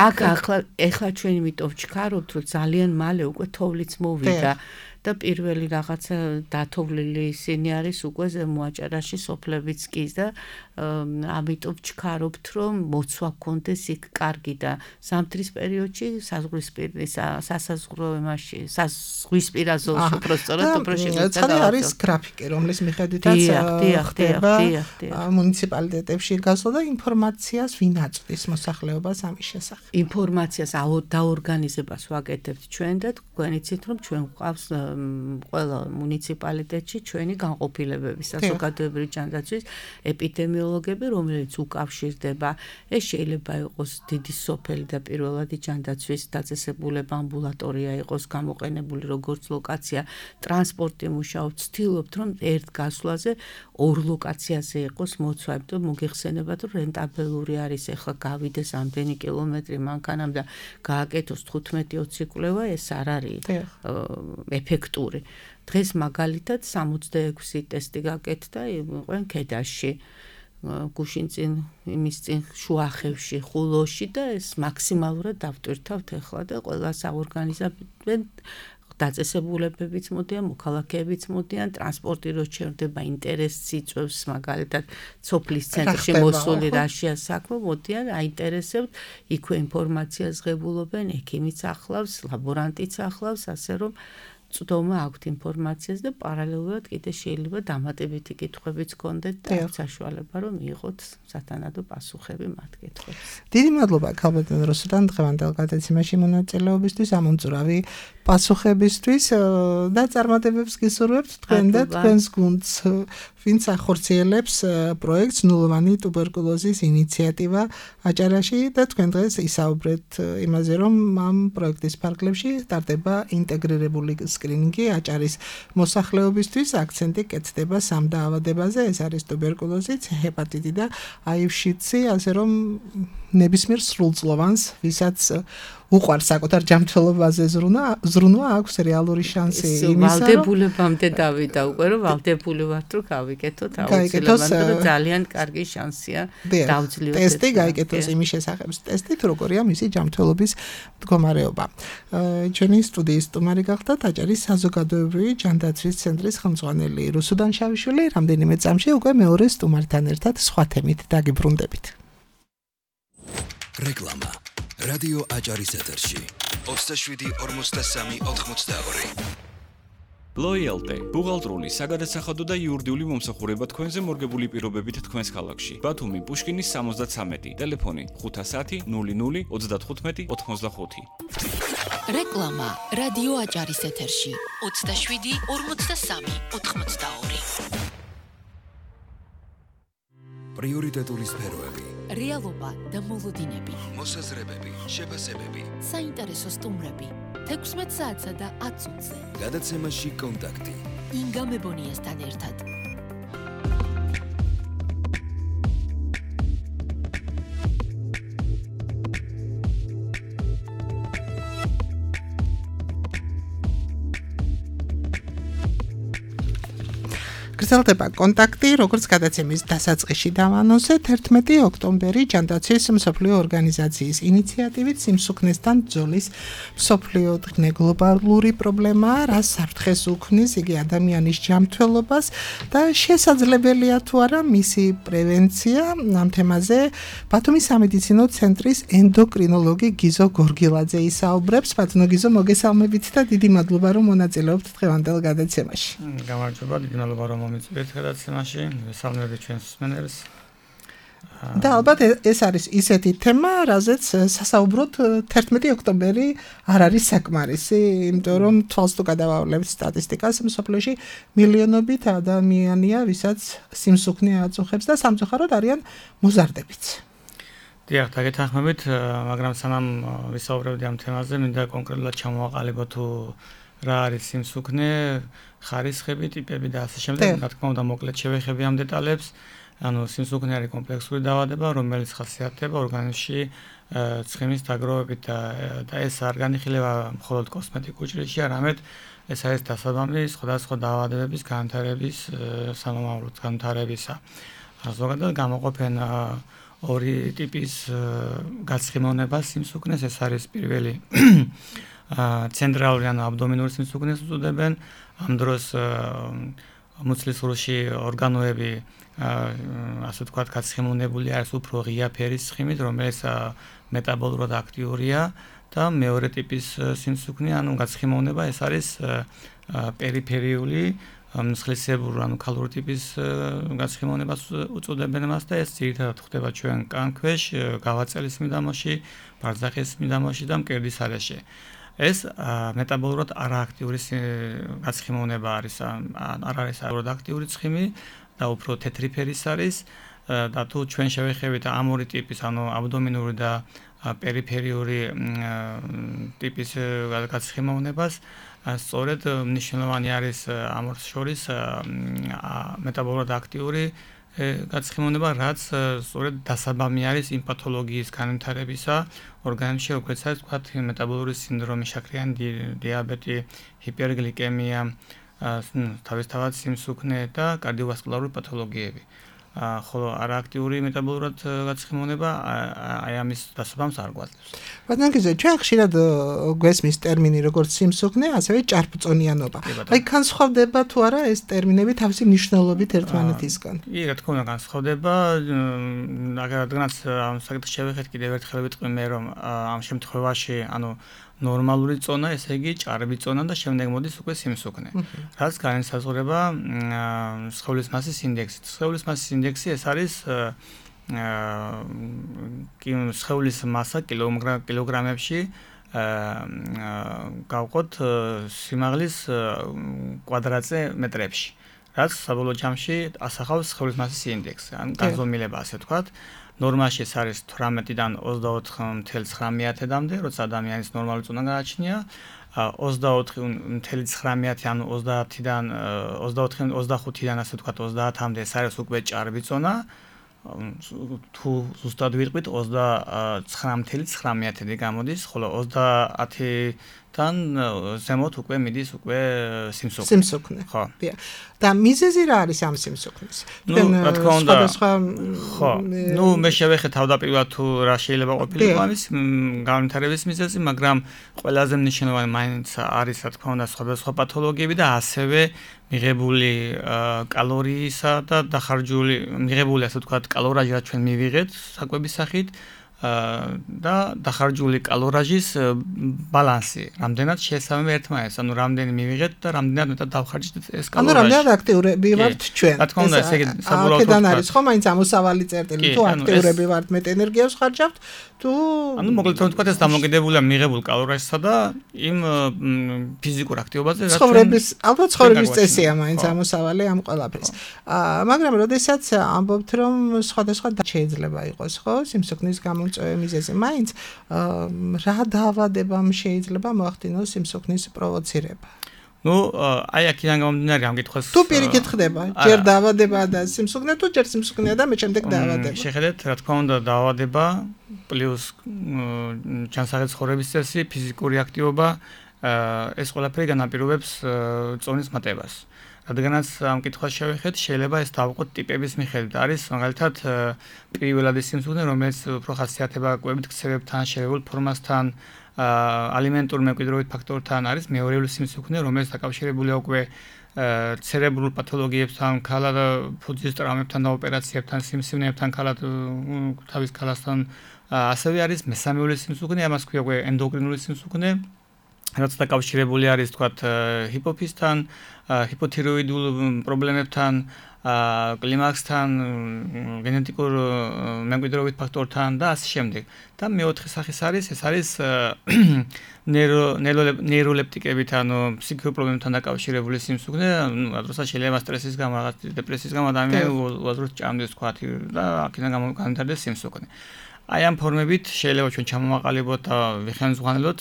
აქ ახლა ახლა ჩვენ იმიტომ ვჩქარობთ, რომ ძალიან მალე უკვე თოვლიც მოვიდა. და პირველი რაღაცა დათოვლილი ისინი არის უკვე ზემო აჭარაში სოფლებიც კი და ამიტომ ვჩქარობთ, რომ მოცვა გქონდეს იქ კარგი და ზამთრის პერიოდში საზღვრისპირა სასაზღვრო იმაში საზღვისპირა ზოლში უბრალოდ უფრო შეგვიძლია. ცხადი არის გრაფიკი, რომლის მიხედვითაც ხდება მუნიციპალიტეტებში გასვლა და ინფორმაციას ვინ აწვდის მოსახლეობას ამის შესახებ. ინფორმაციას დაორგანიზებას ვაკეთებთ ჩვენ და თქვენ იცით, რომ ჩვენ გვყავს ყველა მუნიციპალიტეტში ჩვენი განყოფილებები, საზოგადოებრივი ჯანდაცვის ეპიდემიოლოგები, რომელიც უკავშირდება. ეს შეიძლება იყოს დიდი სოფელი და პირველადი ჯანდაცვის დაწესებულება, ამბულატორია იყოს გამოყენებული როგორც ლოკაცია, ტრანსპორტი მუშაობს, ვცდილობთ, რომ ერთ გასვლაზე ორ ლოკაციაზე იყოს მოცვა, იმიტომ მოგეხსენებათ, რომ რენტაბელური არის ახლა გავიდეს ამდენი კილომეტრი მანქანამ და გააკეთოს თხუთმეტი ოცი კვლევა, ეს არ არის ეფექტური. დღეს მაგალითად სამოცდაექვსი ტესტი გაკეთდა იყვენ ქედაში, გუშინწინ, იმის წინ შუახევში, ხულოში და ეს მაქსიმალურად დავტვირთავთ ახლა და ყველა საორგანიზებენ დაწესებულებებიც მოდიან, მოქალაქეებიც მოდიან, ტრანსპორტი რო ჩერდება, ინტერესს იწვევს, მაგალითად სოფლის ცენტრში მოსული რაშია საქმე, მოდიან, აინტერესებთ, იქვე ინფორმაციას ღებულობენ, ექიმიც ახლავს, ლაბორანტიც ახლავს, ასე რომ წვდომა აქვთ ინფორმაციას და პარალელურად კიდე შეიძლება დამატებითი კითხვებიც გქონდეთ და აქვს საშუალება რომ მიიღოთ სათანადო პასუხები მათ კითხვებს. დიდი მადლობა ქალბატონ რუსუდან დღევანდელ გადაცემაში მონაწილეობისთვის, ამომწურავი პასუხებისთვის და წარმატებებს გისურვებთ თქვენ და თქვენს გუნდს, ვინც ახორციელებს პროექტს ნულოვანი ტუბერკულოზის ინიციატივა აჭარაში და თქვენ დღეს ისაუბრეთ იმაზე, რომ ამ პროექტის ფარგლებში ტარდება ინტეგრირებული სკრინინგი აჭარის მოსახლეობისთვის, აქცენტი კეთდება სამ დაავადებაზე, ეს არის ტუბერკულოზი, ჰეპატიტი და აივ-შიდსი, ასე რომ ნებისმიერ სრულწლოვანს, ვისაც უყვარს საკუთარ ჯანმრთელობაზე ზრუნვა, ზრუნვა აქვს რეალური შანსი იმისა, რომ ვალდებულებამდე დავიდა უკვე, რომ ვალდებული ვართ, რომ გავიკეთოთ აუცილებლად, რომ ძალიან კარგი შანსია დავძლიოთ. ტესტი გაიკეთოს იმის შესახებ, ტესტით როგორია მისი ჯანმრთელობის მდგომარეობა. ჩვენი სტუდიის სტუმარი გახდათ აჭარის საზოგადოებრივი ჯანდაცვის ცენტრის ხელმძღვანელი რუსუდან შავიშვილი, რამდენიმე წამში უკვე მეორე სტუმართან ერთად სხვა თემით დაგიბრუნდებით. რეკლამა რადიო აჭარის ეთერში ოცდაშვიდი ორმოცდასამი ოთხმოცდაორი. Loyalty, ბუღალტრული, საგადასახადო და იურიდიული მომსახურება თქვენზე მორგებული პირობებით თქვენს ქალაქში. ბათუმი, პუშკინის სამოცდათვრამეტი, ტელეფონი ხუთასათი ნული ნული ოცდათხუთმეტი ოთხმოცდახუთი. რეკლამა რადიო აჭარის ეთერში ოცდაშვიდი ორმოცდასამი ოთხმოცდაორი. პრიორიტეტული სფეროები, რეალობა და მოლოდინები, მოსაზრებები, შეფასებები, საინტერესო სტუმრები, თექვსმეტ საათსა და ათ წუთზე. გადაცემაში კონტაქტი. ინგა მებონიასთან ერთად. გრძელდება კონტაქტი, როგორც გადაცემის დასაწყისში დავანონსეთ, ერთმეტი ოქტომბერი ჯანდაცვის მსოფლიო ორგანიზაციის ინიციატივით სიმსუქნესთან ბრძოლის მსოფლიო გლობალური პრობლემაა, რაც საფრთხეს უქმნის იგი ადამიანის ჯანმრთელობას და შესაძლებელია თუ არა მისი პრევენცია. ამ თემაზე ბათუმის სამედიცინო ცენტრის ენდოკრინოლოგი გიზო გორგილაძე ისაუბრებს. ბატონო გიზო, მოგესალმებით და დიდი მადლობა რომ მონაწილეობთ დღევანდელ გადაცემაში. გამარჯობა, დიდი მადლობა რომ მომიწვიეთ გადაცემაში, მესალმები ჩვენს მსმენელს. და ალბათ ეს არის ისეთი თემა, რაზეც სასაუბროთ თერთმეტი ოქტომბერი არ არის საკმარისი, იმიტომ რომ თვალს თუ გადავავლებთ სტატისტიკას, მსოფლიოში მილიონობით ადამიანია, ვისაც სიმსუქნე აწუხებს და სამწუხაროდ არიან მოზარდებიც. დიახ, დაგეთანხმებით, მაგრამ სანამ ვისაუბრებდი ამ თემაზე, მინდა კონკრეტულად ჩამოვაყალიბო თუ რა არის სიმსუქნე, ხარისხები, ტიპები და ასე შემდეგ. რა თქმა უნდა, მოკლედ შევეხები ამ დეტალებს. ანუ სიმსუქნე არის კომპლექსური დაავადება, რომელიც ხასიათდება ორგანიზმში ცხიმის დაგროვებით და და ეს არ განიხილება მხოლოდ კოსმეტიკურ ჭრილში, არამედ ეს არის დასაბამი სხვადასხვა დაავადებების განვითარების სამომავლოდ განვითარებისა. ზოგადად გამოყოფენ ორი ტიპის გაცხიმოვნება სიმსუქნეს, ეს არის პირველი ცენტრალური ან აბდომინური სიმსუქნეს უწოდებენ. ამ დროს მუცლის სრულში ორგანოები ასე ვთქვათ გაცხიმოვნებული არის უფრო ღია ფერის ცხიმით, რომელიც მეტაბოლურად აქტიურია და მეორე ტიპის სიმსუქნე, ანუ გაცხიმოვნება, ეს არის პერიფერიული მსხლისებური, ანუ ქალური ტიპის გაცხიმოვნებას უწოდებენ მას და ეს ძირითადად ხდება ჩვენ კანქვეშ, გავაწელის მიდამოში, ბარძახის მიდამოში და მკერდის არეში. ეს მეტაბოლურად არააქტიური გაცხიმოვნება არის, არ არის არააქტიური აქტიური ცხიმი და უფრო თეთრი ფერის არის და თუ ჩვენ შევეხებით ამ ორი ტიპის, ანუ აბდომინური და პერიფერიული ტიპის გაცხიმოვნებას, სწორედ მნიშვნელოვანი არის ამ შორის მეტაბოლურად აქტიური გაცხიმოვნება, რაც სწორედ დასაბამი არის იმ პათოლოგიის განვითარებისა ორგანიზმში, როგორც არის ვთქვათ მეტაბოლური სინდრომი, შაქრიანი დიაბეტი, ჰიპერგლიკემია, თავისთავად სიმსუქნე და კარდიოვასკულარული პათოლოგიები. ხოლო არააქტიური მეტაბოლურად გაცხიმოვნება აი ამის დასაბამს არ გვაძლევს. ბატონო გიზო, ჩვენ ხშირად გვესმის ტერმინი როგორც სიმსუქნე, ასევე ჭარბწონიანობა. აი განსხვავდება თუ არა ეს ტერმინები თავისი მნიშვნელობით ერთმანეთისგან? კი, რა თქმა უნდა განსხვავდება. რადგანაც ამ საკითხს შევეხეთ, კიდევ ერთხელ ვიტყვი მე, რომ ამ შემთხვევაში, ანუ ნორმალური წონა, ესე იგი ჭარბი წონა და შემდეგ მოდის უკვე სიმსუქნე. რაც განისაზღვრება სხეულის მასის ინდექსით. სხეულის მასის ინდექსი ეს არის სხეულის მასა კილოგრამებში გავყოთ სიმაღლის კვადრატზე მეტრებში. რაც საბოლოო ჯამში ასახავს სხეულის მასის ინდექსს, ან განზომილება ასე ვთქვათ. ნორმაში ეს არის თვრამეტიდან ოცდაოთხ ნული ცხრამეტამდე, როცა ადამიანის ნორმალური წონა გააჩნია. ოცდაოთხი ნული ცხრამეტი ანუ ოცდაათიდან ოცდაოთხი ოცდახუთიდან ასე ვთქვათ ოცდაათამდე ეს არის უკვე ჭარბი წონა. თუ ზუსტად ვიტყვით ოცდაცხრა ნული ცხრამეტი გამოდის, ხოლო ოცდაათიდან ზემოთ უკვე მიდის უკვე სიმსუქნე. სიმსუქნე. ხო. და მიზეზი რა არის ამ სიმსუქნის? ნუ რა თქმა უნდა. ხო. ნუ მე შევეხე თავდაპირველად თუ რა შეიძლება ყოფილიყო ამის განვითარების მიზეზი, მაგრამ ყველაზე მნიშვნელოვანი მაინც არის რა თქმა უნდა სხვადასხვა პათოლოგიები და ასევე მიღებული კალორიისა და დახარჯული მიღებული ასე ვთქვათ კალორაჟი რაც ჩვენ მივიღეთ საკვების სახით და დახარჯული კალორაჟის ბალანსი, რამდენად შეესაბამება ერთმანეთს, ანუ რამდენი მივიღეთ და რამდენად მეტად დავხარჯეთ ეს კალორაჟი. ანუ რამდენად აქტიურები ვართ ჩვენ. რა თქმა უნდა, ესე იგი საბოლოოდ აქედან არის ხო მაინც ამოსავალი წერტილი, თუ აქტიურები ვართ, მეტ ენერგიას ხარჯავთ, თუ ანუ მოკლედ ვთქვათ ეს დამოკიდებულია მიღებულ კალორიასა და იმ ფიზიკურ აქტივობაზე, რაც ცხოვრების, ალბათ ცხოვრების წესია მაინც ამოსავალი ამ ყველაფრის. აა მაგრამ როდესაც ამბობთ რომ სხვადასხვა შეიძლება იყოს, ხო, სიმსუქნის გამომწვევი მიზეზი, მაინც რა დაავადებამ შეიძლება მოახდინოს სიმსუქნის პროვოცირება? ნუ აი აქედან გამომდინარე ამ კითხვას თუ პირიქით ხდება, ჯერ დაავადება და სიმსუქნე, თუ ჯერ სიმსუქნეა და მე შემდეგ დაავადება. შეხედეთ, რა თქმა უნდა, დაავადება პლუს ჯანსაღი ცხოვრების წესი, ფიზიკური აქტივობა, ეს ყველაფერი განაპირობებს წონის მატებას. რადგანაც ამ კითხვას შევეხეთ, შეიძლება ეს დავყოთ ტიპების მიხედვით. არის მაგალითად პირველადი სიმსუქნე, რომელიც უფრო ხასიათდება კვებით ქცევებთან, შერეულ ფორმასთან, ალიმენტურ მემკვიდრეობით ფაქტორთან, არის მეორეული სიმსუქნე, რომელიც დაკავშირებულია უკვე ცერებრულ პათოლოგიებთან, ქალად ფუძის ტრაუმებთან და ოპერაციებთან, სიმსივნეებთან, ქალად თავის ქალასთან. ასევე არის მესამეული სიმსუქნე, ამას ქვია უკვე ენდოკრინული სიმსუქნე, რაც დაკავშირებული არის თქვათ ჰიპოფიზთან, ჰიპოთიროიდულ პრობლემებთან, კლიმაქსთან, გენეტიკურ მემკვიდრეობით ფაქტორთან და ასე შემდეგ. და მეოთხე სახის არის, ეს არის ნეიროლეპტიკებით, ანუ ფსიქიკურ პრობლემებთან დაკავშირებული სიმსუქნე, ანუ როდესაც შეიძლება სტრესის გამო, რაღაც დეპრესიის გამო ადამიანი უაზროდ ჭამდეს თქვათ და აქედან გამომდინარე სიმსუქნე. აი ამ ფორმებით შეიძლება ჩვენ ჩამომაყალიბოთ და ვიხსენოთ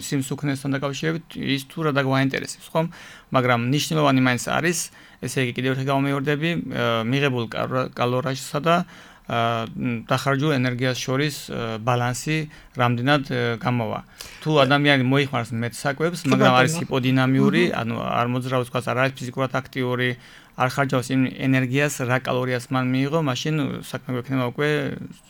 სიმსუქნესთან დაკავშირებით ის თუ რა დაგვაინტერესებს, ხომ? მაგრამ მნიშვნელოვანი მაინც არის, ესე იგი კიდევ ერთხელ გამომივარდები, მიღებულ კალორიასა და დახარჯულ ენერგიას შორის ბალანსი რამდენად გამოვა. თუ ადამიანი მოიხმარს მეტ საკვებს, მაგრამ არის ჰიპოდინამიური, ანუ არ მოძრაობს თქვა არ არის ფიზიკურად აქტიური, არ ხარჯავს იმ ენერგიას, რა კალორიას მან მიიღო, მაშინ საქმე გვექნება უკვე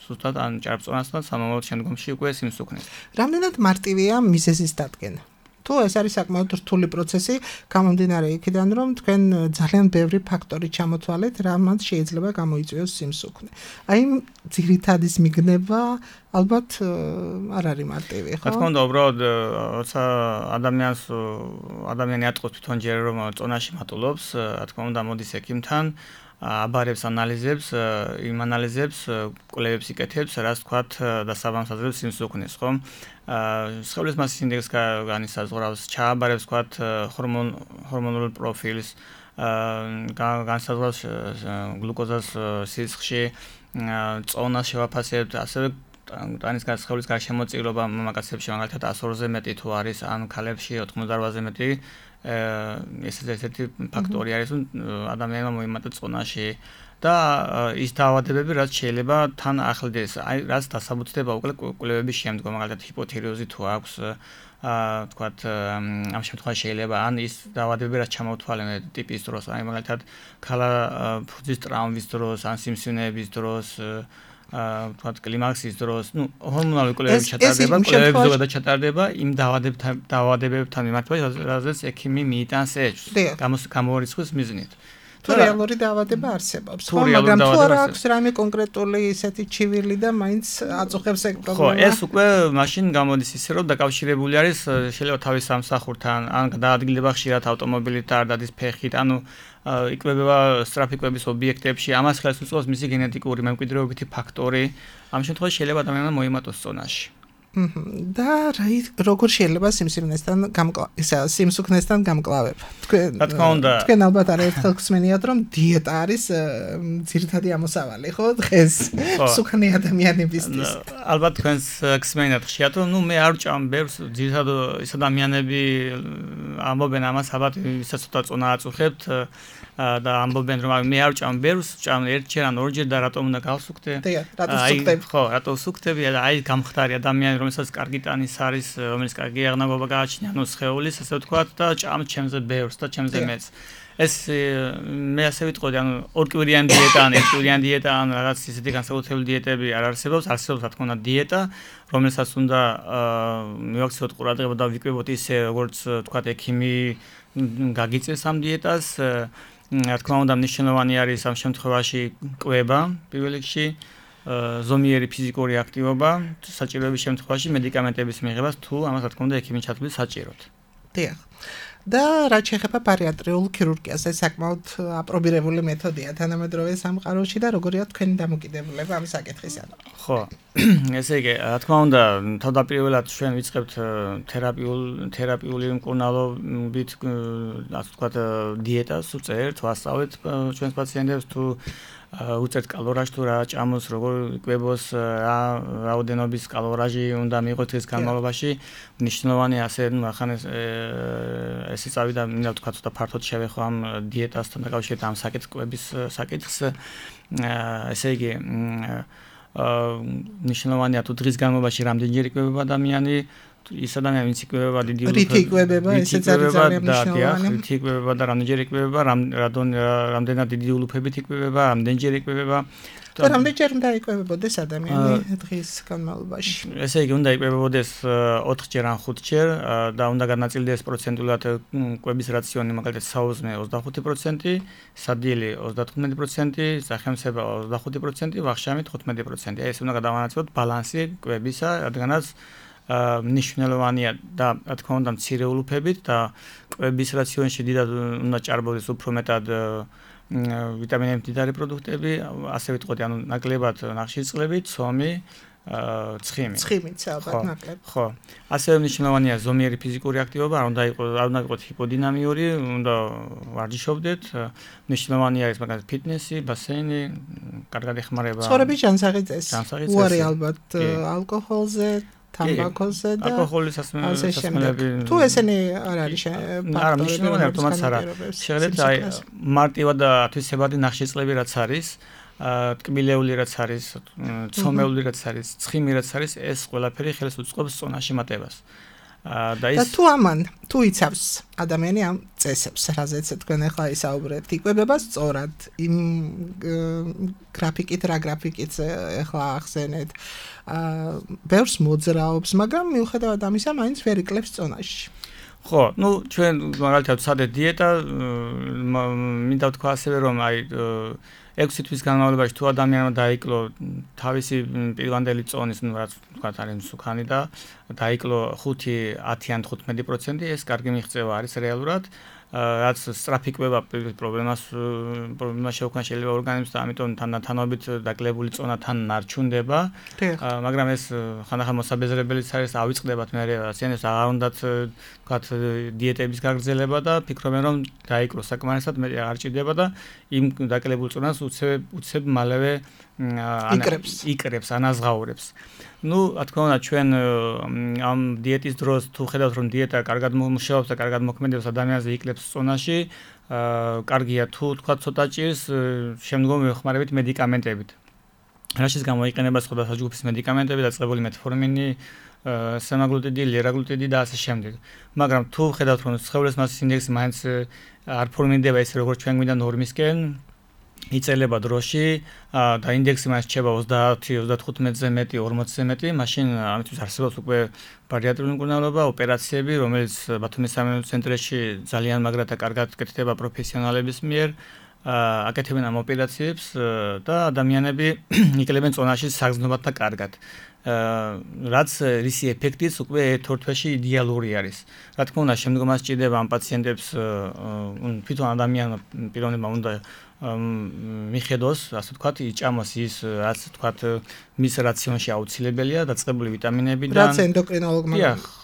ზუსტად ან ჭარბწონასთან, სამომავლოდ შემდგომში უკვე სიმსუქნეს. რამდენად მარტივია მიზეზის დადგენა? თუ ეს არის საკმაოდ რთული პროცესი, გამომდინარე იქიდან, რომ თქვენ ძალიან ბევრი ფაქტორი ჩამოთვალეთ, რამაც შეიძლება გამოიწვიოს სიმსუქნე. აი, ძირითადის მიგნება ალბათ არ არის მარტივი, ხო? რა თქმა უნდა, უბრალოდ, როცა ადამიანს ადამიანი ატყობს თვითონ ჯერ რომ წონაში მატულობს, რა თქმა უნდა, მოდის ექიმთან, აბარებს ანალიზებს, იმ ანალიზებს კვლევებს იკეთებს, რაც თქვათ დასაბამს აძლევს სიმსუქნეს, ხო? სხეულის მასის ინდექსს განისაზღვრავს, ჩააბარებს თქვათ ჰორმონ ჰორმონულ პროფილს, განისაზღვრავს გლუკოზას სისხლში, წონას შევაფასებთ, ასევე ტანის სხეულის გარშემოწირობა მამაკაცებში მაგალითად ათას ორზე მეტი თუ არის, ან ქალებში ოცდაოთხზე მეტი, ეს ესეთი ფაქტორი არის, რომ ადამიანმა მოიმატა წონაში და ის დაავადებები, რაც შეიძლება თან ახლდეს, აი რაც დასაბუთდება უკვე კვლევების შემდგომ, მაგალითად ჰიპოთირეოზი თუ აქვს, აა თქვათ ამ შემთხვევაში შეიძლება ან ის დაავადებები, რაც ჩამოვთვალენ ტიპის დროს, აი მაგალითად ქალა ფუძის ტრაუმის დროს, ან სიმსივნეების დროს, აა თქვათ კლიმაქსის დროს, ну, ჰორმონალური კვლევები ჩატარდება, კვლევები ზოგადად ჩატარდება იმ დაავადებებთან დაავადებებთან მიმართულებით, რაზეც ექიმი მიიტანს ეჭვს, გამორიცხვის მიზნით. თუ რეალური დაავადება არსებობს, ხო, მაგრამ თუ არ აქვს რამე კონკრეტული ისეთი ჩივილი და მაინც აწუხებს ეგ პრობლემა. ხო, ეს უკვე მაშინ გამოდის ისე, რომ დაკავშირებული არის შეიძლება თავის სამსახურთან, ან დაადგილება ხშირად ავტომობილით არ დადის ფეხით, ანუ იკვებება სტრაფიკვების ობიექტებში, ამას ხელს უწყობს მისი გენეტიკური მემკვიდრეობითი ფაქტორი. ამ შემთხვევაში შეიძლება ადამიანმა მოიმატოს ზონაში. და როგორ შეიძლება სიმსივნესთან ისა სიმსუქნესთან გამკლავება? თქვენ რა თქმა უნდა, თქვენ ალბათ არაერთხელ გსმენიათ, რომ დიეტა არის ძირითადი ამოსავალი, ხო, დღეს მსუქნე ადამიანებისთვის. ალბათ თქვენს გსმენიათ ხშირად, რომ ნუ მე არ ვჭამ ბევრს, ძირითადად ის ადამიანები ამბობენ ამას, ალბათ ისაც ცოტა წონა აწუხებთ და ამბობენ რომ მე არ ვჭამ ბევრს, ვჭამ ერთჯერ ან ორჯერ და რატომ უნდა გავსუქდე? რატო ვსუქდები? ხო, რატო ვსუქდები? აი გამხდარი ადამიანი, რომელსაც კარგი ტანის არის, რომელიც კარგი აღნაგობა გააჩნია, ანუ სხეულის, ასე ვთქვათ და ჭამ ჩემზე ბევრს და ჩემზე მეც. ეს მე ასე ვიტყოდი, ანუ ორკვირიანი დიეტა ან ერთკვირიანი დიეტა ან რაღაც ისეთი განსაკუთრებული დიეტები არ არსებობს, არსებობს რა თქმა უნდა დიეტა, რომელსაც უნდა მივაქციოთ ყურადღება და ვიკვებოთ ისე, როგორც ვთქვათ, ექიმი გაგიწევს ამ დიეტას. რა თქმა უნდა, მნიშვნელოვანი არის ამ შემთხვევაში კვება, პირველ რიგში, ზომიერი ფიზიკური აქტივობა, საჭიროების შემთხვევაში მედიკამენტების მიღებას, თუ ამას რა თქმა უნდა ექიმი ჩათვლის საჭიროდ. დიახ. და რაც შეეხება ბარიატრიულ ქირურგიას, ეს საკმაოდ აპრობირებული მეთოდია თანამედროვე სამყაროში და როგორია თქვენი დამოკიდებულება ამ საკითხისგან? ხო, ესე იგი, რა თქმა უნდა, თავდაპირველად ჩვენ ვიწყებთ თერაპიულ თერაპიული მკურნალობით, ასე ვთქვათ, დიეტას, უწევთ, ვასწავლეთ ჩვენს პაციენტებს თუ უწევთ კალორაჟს თუ რა ჭამოს, როგორ იკვებოს, რა რაოდენობის კალორაჟი უნდა მიიღოს დღის განმავლობაში. მნიშვნელოვანი ასე, ნუ ახან ეს ესე წავიდა, მინდა ვთქვა, ცოტა ფართოდ შევეხო ამ დიეტასთან დაკავშირებით ამ საკითხების საკითხს. ესე იგი, მნიშვნელოვანია თუ დღის განმავლობაში რამდენჯერ იკვებება ადამიანი, ის ადამიანი ვინც იკვებება დიდი ულუფებით, რითი იკვებება, ესეც არის ძალიან მნიშვნელოვანი. რითი იკვებება და რამდენჯერ იკვებება, რამდენად დიდი ულუფებით იკვებება, რამდენჯერ იკვებება. და რამდენჯერ უნდა იკვებებოდეს ადამიანი დღის განმავლობაში? ესე იგი, უნდა იკვებებოდეს ოთხჯერ ან ხუთჯერ და უნდა განაწილდეს პროცენტულად კვების რაციონი, მაგალითად, საუზმე ოცდახუთი პროცენტი, სადილე ოცდათხუთმეტი პროცენტი, სახელმწიფო ოცდახუთი პროცენტი, ვახშამი თხუთმეტი პროცენტი. ეს უნდა გადავანაცვლოთ ბალანსი კვებისა, რადგანაც მნიშვნელოვანია და რა თქმა უნდა მცირე ულუფებით და კვების რაციონში დიდად უნდა ჭარბობდეს უფრო მეტად ვიტამინები, მდიდარი პროდუქტები, ასე ვიტყოდი, ანუ ნაკლებად ნახშირწყლები, ცომი, ცხიმი. ცხიმიც ალბათ ნაკლებ. ხო. ასევე მნიშვნელოვანია ზომიერი ფიზიკური აქტივობა, არ უნდა იყოს, არ უნდა იყოს ჰიპოდინამიური, უნდა ვარჯიშობდეთ. მნიშვნელოვანია ის მაგალითად ფიტნესი, ბასეინი, კარგად ეხმარება. ცხოვრების ჯანსაღი წესი. უარი ალბათ ალკოჰოლზე, თამბაქოზე და ალკოჰოლის სასმელები. თუ ესენი არ არის ფაქტორები, არა, მნიშვნელოვანია, თუმცა არა. შეხედეთ, აი მარტივად და ათვისებადი ნახშირწყლები რაც არის, ტკბილეული რაც არის, ცომეული რაც არის, ცხიმი რაც არის, ეს ყველაფერი ხელს უწყობს წონაში მატებას. და ის და თუ ამან, თუ იცავს ადამიანი ამ წესებს, რაზეც თქვენ ახლა ისაუბრებთ, იკვებება სწორად იმ გრაფიკით, რა გრაფიკით ახლა ახსენეთ, ბევრს მოძრაობს, მაგრამ მიუხედავად ამისა, მაინც ვერ იკლებს წონაში. ხო, ну, ჩვენ მაგალითად ვცადეთ დიეტა, მინდა ვთქვა ასევე, რომ აი ექვსი თვის განმავლობაში თუ ადამიანმა დაიკლო თავისი პირვანდელი წონის, ну, რაც ვთქვათ, არის მსუქანი და დაიკლო ხუთი, ათი ან თხუთმეტი პროცენტი, ეს კარგი მიღწევა არის რეალურად. რაც სწრაფი კვება პრობლემას პრობლემას შეუქმნა შეიძლება ორგანიზმს და ამიტომ თანდათანობით დაკლებული წონა თან ნარჩუნდება. მაგრამ ეს ხანდახან მოსაბეზრებელიც არის, ავიწყდებათ მე პაციენტებს, აღარ უნდათ ვთქვათ დიეტების გაგრძელება და ფიქრობენ რომ დაიკლო საკმარისად, მე აღარ ჭირდება და იმ დაკლებულ წონას უცებ უცებ მალევე იკრებს, იკრებს, ანაზღაურებს. ну, რა თქმა უნდა, ჩვენ ამ დიეტის დროს თუ ხედავთ რომ დიეტა კარგად მუშაობს და კარგად მოქმედებს ადამიანზე იკლებს წონაში, კარგია თუ თქვა ცოტა ჭირს, შემდგომ ვეხმარებით მედიკამენტებით. რაშიც გამოიყენება სხვადასხვა ჯგუფის მედიკამენტები, დაწყებული მეტფორმინი, სემაგლუტიდი, ლირაგლუტიდი და ასე შემდეგ. მაგრამ თუ ხედავთ რომ სხეულის მასის ინდექსი მაინც არ ფორმირდება ისე როგორც ჩვენ გვინდა ნორმისკენ, იწელება დროში და ინდექსი მას რჩება ოცდაათი ოცდათხუთმეტზე მეტი, ორმოცზე მეტი, მაშინ ამისთვის არსებობს უკვე ბარიატრიული მკურნალობა, ოპერაციები, რომელიც ბათუმის სამედიცინო ცენტრში ძალიან მაგრად და კარგად კეთდება პროფესიონალების მიერ. აკეთებენ ამ ოპერაციებს და ადამიანები იკლებენ წონაში საგრძნობად და კარგად. რაც რისი ეფექტიც უკვე ერთ-ერთში იდეალური არის. Რა თქმა უნდა, შემდგომ მას ჭირდება ამ პაციენტებს თვითონ ადამიან პიროვნება უნდა მიხედოს, ასე ვთქვათ, იჭამოს ის, რაც ვთქვათ, მის რაციონში აუცილებელია, დაწყებული ვიტამინებიდან. რაც ენდოკრინოლოგმა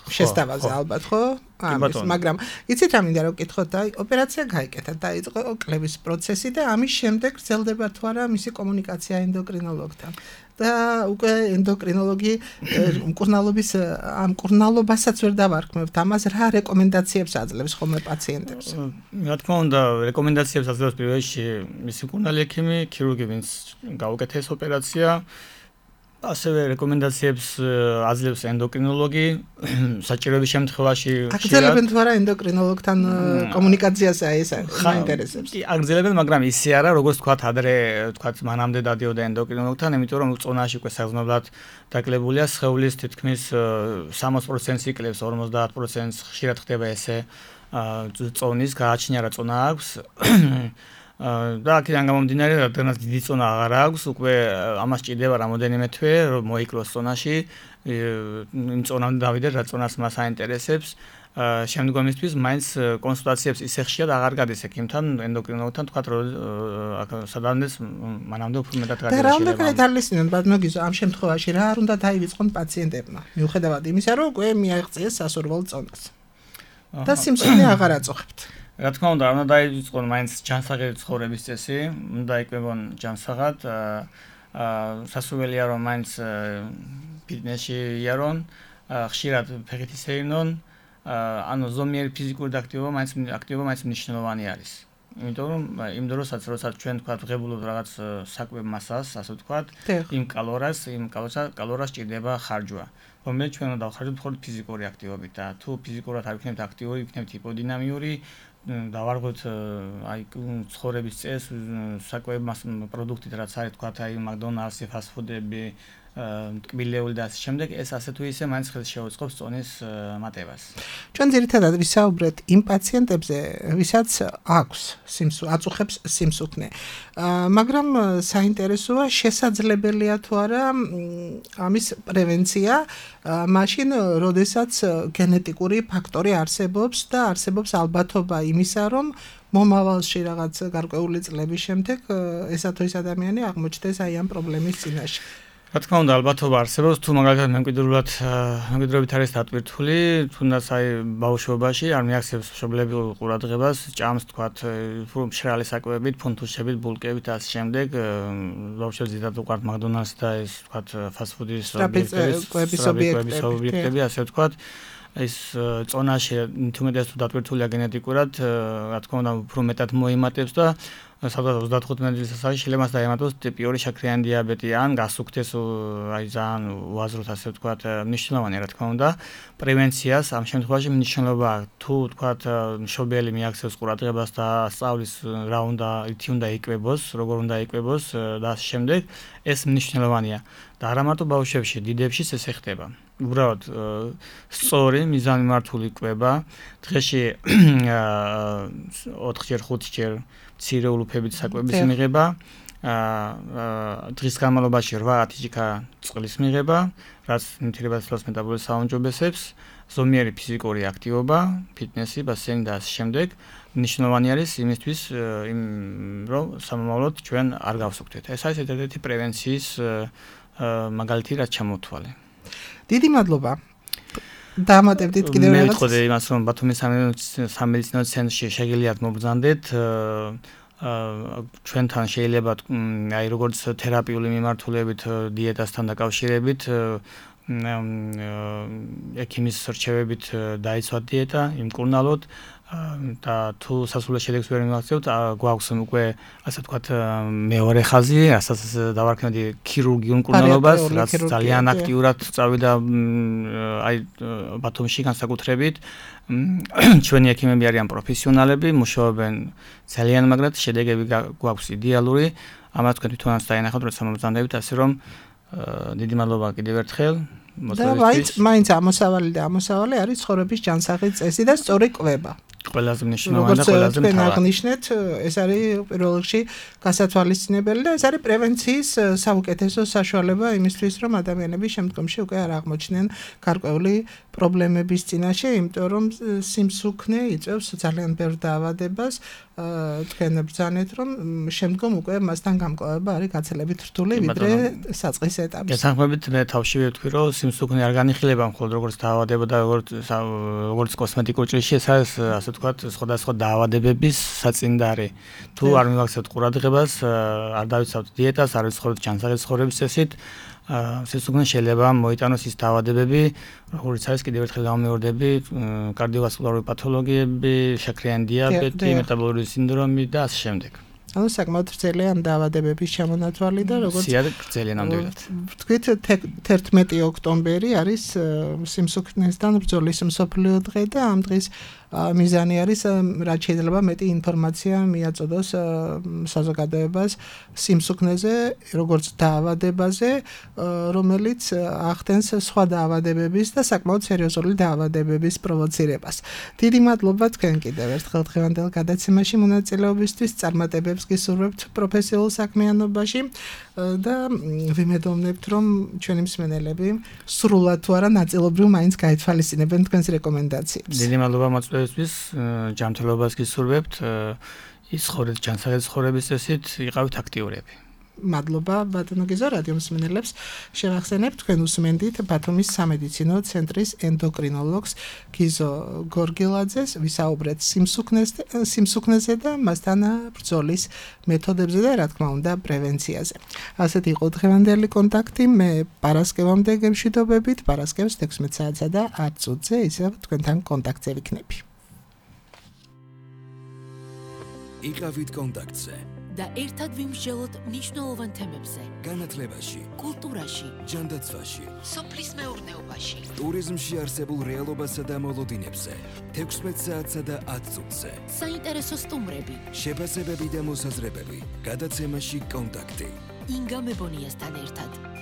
შესთავაზე ალბათ, ხო? ამის, მაგრამ იცით რა მინდა რომ ვკითხოთ და ოპერაცია გაიკეთა, დაიწყო კლების პროცესი და ამის შემდეგ გრძელდება თუ არა მისი კომუნიკაცია ენდოკრინოლოგთან. და უკვე ენდოკრინოლოგი მკურნალობის ამ მკურნალობასაც ვერ დავარქმევთ. ამას რა რეკომენდაციებს აძლევს ხოლმე პაციენტებს? რა თქმა უნდა, რეკომენდაციებს აძლევს პირველში მისი მკურნალი ექიმი, ქირურგი, ვინც გაუკეთეს ოპერაცია. ასევე რეკომენდაციებს აძლევს ენდოკრინოლოგი, საჭიროების შემთხვევაში აგრძელებენ თუ არა ენდოკრინოლოგთან კომუნიკაციას ეს მაინტერესებს. აგრძელებენ, მაგრამ ისე არა, როგორც თქვათ, ადრე თქვათ, მანამდე დადიოდა ენდოკრინოლოგთან, იმიტომ რომ წონაში უკვე საგრძნობლად დაკლებულია, სხეულის თითქმის სამოცი პროცენტს იკლებს, ორმოცდაათ პროცენტს ხშირად ხდება ესე წონის გააჩნია რა წონა აქვს. და აქედან გამომდინარე, რადგანაც დიდი წონა აღარ აქვს, უკვე ამას ჭირდება რამოდენიმე თვე, რომ მოიკლოს წონაში, იმ წონამდე დავიდეთ, რა წონას მას აინტერესებს. შემდგომისთვის მაინც კონსულტაციებს ისე ხშირად აღარ გადის ექიმთან, ენდოკრინოლოგთან, თქვათ, რომ სადამდე მანამდე უფრო მეტად გადაიშლება. და რა უნდა გაითვალისწინონ, ბატონოგიზო, ამ შემთხვევაში რა არ უნდა დაივიწყონ პაციენტებმა, მიუხედავად იმისა, რომ უკვე მიაღწიეს სასურველ წონას. და სიმსივნე აღარ აწუხებთ. რა თქმა უნდა, უნდა დაივიწყონ მაინც ჯანსაღი ცხოვრების წესი, უნდა იკლებონ ჯანსაღად, სასურველია რომ მაინც ფიტნესში იარონ, ხშირად ფეხით ისეირნონ, ანუ ზომიერი ფიზიკური აქტივობა მაინც აქტივობა მაინც მნიშვნელოვანი არის. იმიტომ რომ იმ დროსაც, როდესაც ჩვენ თქვა ვღებულობთ რაღაც საკვებ მასას, ასე ვთქვათ, იმ კალორიას, იმ კალორიას ჭირდება ხარჯვა. რომელიც ჩვენ უნდა დავხარჯოთ მხოლოდ ფიზიკური აქტივობით და თუ ფიზიკურად არ ვიქნებთ აქტიური, ვიქნებთ ჰიპოდინამიური, დავარღვევთ აი ცხოვრების წესს, საკვებ მას პროდუქტით, რაც არის თქვა აი მაკდონალდსი, ფასტფუდები, ტკბილეული და ასე შემდეგ, ეს ასე თუ ისე მაინც ხელს შეუწყობს წონის მატებას. ჩვენ ძირითადად ვისაუბრეთ იმ პაციენტებზე, ვისაც აქვს სიმსუ, აწუხებს სიმსუქნე. მაგრამ საინტერესოა, შესაძლებელია თუ არა ამის პრევენცია, მაშინ, როდესაც გენეტიკური ფაქტორი არსებობს და არსებობს ალბათობა იმისა, რომ მომავალში რაღაც გარკვეული წლების შემდეგ ესა თუ ის ადამიანი აღმოჩნდეს აი ამ პრობლემის წინაშე. რა თქმა უნდა, ალბათობა არსებობს, თუ მაგალითად მემკვიდრეულად მემკვიდრეობით არის დატვირთული, თუნდაც აი ბავშვობაში არ მიაქცევს მშობლებელ ყურადღებას, ჭამს თქვათ მშრალი საკვებებით, ფუნთუშებით, ბულკებით და ასე შემდეგ, ბავშვებს ზედათ უყვართ მაკდონალდსი და ეს თქვათ ფასტფუდის ობიექტები, ასე ვთქვათ. ეს წონაში თუმეტეს თუ დატვირთულია გენეტიკურად, რა თქმა უნდა, უფრო მეტად მოიმატებს და სადღაც ოცდათხუთმეტი წელიწადში შეიძლება დაემატოს ტიპი ორი შაქრიანი დიაბეტი ან გასუქდეს აი ძალიან უაზროდ ასე ვთქვათ, მნიშვნელოვანია რა თქმა უნდა, პრევენციას ამ შემთხვევაში მნიშვნელობა თუ ვთქვათ მშობელი მიაქცევს ყურადღებას და სწავლის რა უნდა, ითი უნდა იკვებოს, როგორ უნდა იკვებოს და ასე შემდეგ, ეს მნიშვნელოვანია. და არა მარტო ბავშვებში, დიდებშიც ეს ხდება. უბრალოდ სწორი მიზანმიმართული კვება, დღეში ოთხჯერ ხუთჯერ მცირე ულუფებით საკვების მიღება, დღის განმავლობაში რვა-ათი ჭიქა წყლის მიღება, რაც ნივთიერებათა მეტაბოლიზმს აუმჯობესებს, ზომიერი ფიზიკური აქტივობა, ფიტნესი, ბასენი და ასე შემდეგ. მნიშვნელოვანი არის იმისთვის, რომ სამომავლოდ ჩვენ არ გავსუქდეთ. ეს არის ერთ-ერთი პრევენციის მაგალითი, რაც ჩამოვთვალე. დიდი მადლობა. დამატებდით კიდევ რაღაც. მე ვიტყოდი იმას, რომ ბათუმის სამედიცინო ცენტრში შეგიძლიათ მობრძანდეთ. ჩვენთან შეიძლება აი როგორც თერაპიული მიმართულებით, დიეტასთან დაკავშირებით, ექიმის რჩევებით დაიცვათ დიეტა, იმკურნალოთ და თუ სასულე შედეგს ვერ მივაქცევთ, გვაქვს უკვე ასე ვთქვათ მეორე ხაზი, რასაც დავარქმევდი ქირურგიულ მკურნალობას, რაც ძალიან აქტიურად წავიდა აი ბათუმში განსაკუთრებით. ჩვენი ექიმები არიან პროფესიონალები, მუშაობენ ძალიან მაგრად, შედეგები გვაქვს იდეალური. ამას თქვენ თვითონაც დაინახავთ, როცა მომბრძანდებით, ასე რომ დიდი მადლობა კიდევ ერთხელ. და მაინც მაინც ამოსავალი და ამოსავალი არის ცხოვრების ჯანსაღი წესი და სწორი კვება. ყველაზე მნიშვნელოვანი და ყველაზე მთავარი. მთავარი. აღნიშნეთ, ეს არის პირველ რიგში გასათვალისწინებელი და ეს არის პრევენციის საუკეთესო საშუალება იმისთვის, რომ ადამიანები შემდგომში უკვე არ აღმოჩნდნენ გარკვეული პრობლემების წინაშე, იმიტომ რომ სიმსუქნე იწვევს ძალიან ბევრ დაავადებას. თქვენ ბრძანეთ, რომ შემდგომ უკვე მასთან გამკლავება არის გაცილებით რთული, ვიდრე საწყის ეტაპში. გასახმებით მე თავშივე ვთქვი, რომ სიმსუქნე არ განიხილება მხოლოდ როგორც დაავადება და როგორც როგორც კოსმეტიკურ ჭრილში, ეს არის ასე ვთქვათ, სხვადასხვა დაავადებების საწინდარი. თუ არ მივაქცევთ ყურადღებას, არ დავიცავთ დიეტას, არ ვიცხოვროთ ჯანსაღი ცხოვრების წესით, სიმსუქნე შეიძლება მოიტანოს ის დაავადებები, როგორც არის კიდევ ერთხელ გამეორდები, კარდიოვასკულარული პათოლოგიები, შაქრიანი დიაბეტი, მეტაბოლური სინდრომი და ასე შემდეგ. ანუ საკმაოდ ვრცელია ამ დაავადებების ჩამონათვალი და როგორც სიადე ვრცელია ნამდვილად. ვთქვით თერთმეტი ოქტომბერი არის სიმსუქნესთან ბრძოლის მსოფლიო დღე და ამ დღის მიზანი არის რაც შეიძლება მეტი ინფორმაცია მიაწოდოს საზოგადოებას სიმსუქნეზე, როგორც დაავადებაზე, რომელიც ახდენს სხვა დაავადებების და საკმაოდ სერიოზული დაავადებების პროვოცირებას. დიდი მადლობა თქვენ კიდევ ერთხელ დღევანდელ გადაცემაში მონაწილეობისთვის, წარმატებებს გისურვებთ პროფესიულ საქმიანობაში და ვიმედოვნებთ, რომ ჩვენი მსმენელები სრულად თუ არა ნაწილობრივ მაინც გაითვალისწინებენ თქვენს რეკომენდაციებს. დიდი მადლობა მოწვევისთვის, ჯანმრთელობას გისურვებთ, ისხოვრეთ ჯანსაღი ცხოვრების წესით, იყავით აქტიურები. მადლობა ბატონო გიზო, რადიო მსმენელებს შევახსენებთ, თქვენ უსმენდით ბათუმის სამედიცინო ცენტრის ენდოკრინოლოგს გიზო გორგილაძეს, ვისაუბრეთ სიმსუქნეზე და მასთან ბრძოლის მეთოდებზე და რა თქმა უნდა პრევენციაზე. ასეთი იყო დღევანდელი კონტაქტი, მე პარასკევამდე გემშვიდობებით, პარასკევს თექვსმეტ საათსა და ათ წუთზე ისევ თქვენთან კონტაქტზე ვიქნები. იყავით კონტაქტზე და ერთად ვიმსჯელოთ მნიშვნელოვან თემებზე. განათლებაში, კულტურაში, ჯანდაცვაში, სოფლის მეურნეობაში, ტურიზმში არსებულ რეალობასა და მოლოდინებზე, თექვსმეტ საათსა და ათ წუთზე. საინტერესო სტუმრები, შეფასებები და მოსაზრებები, გადაცემაში კონტაქტი. ინგა მებონიასთან ერთად.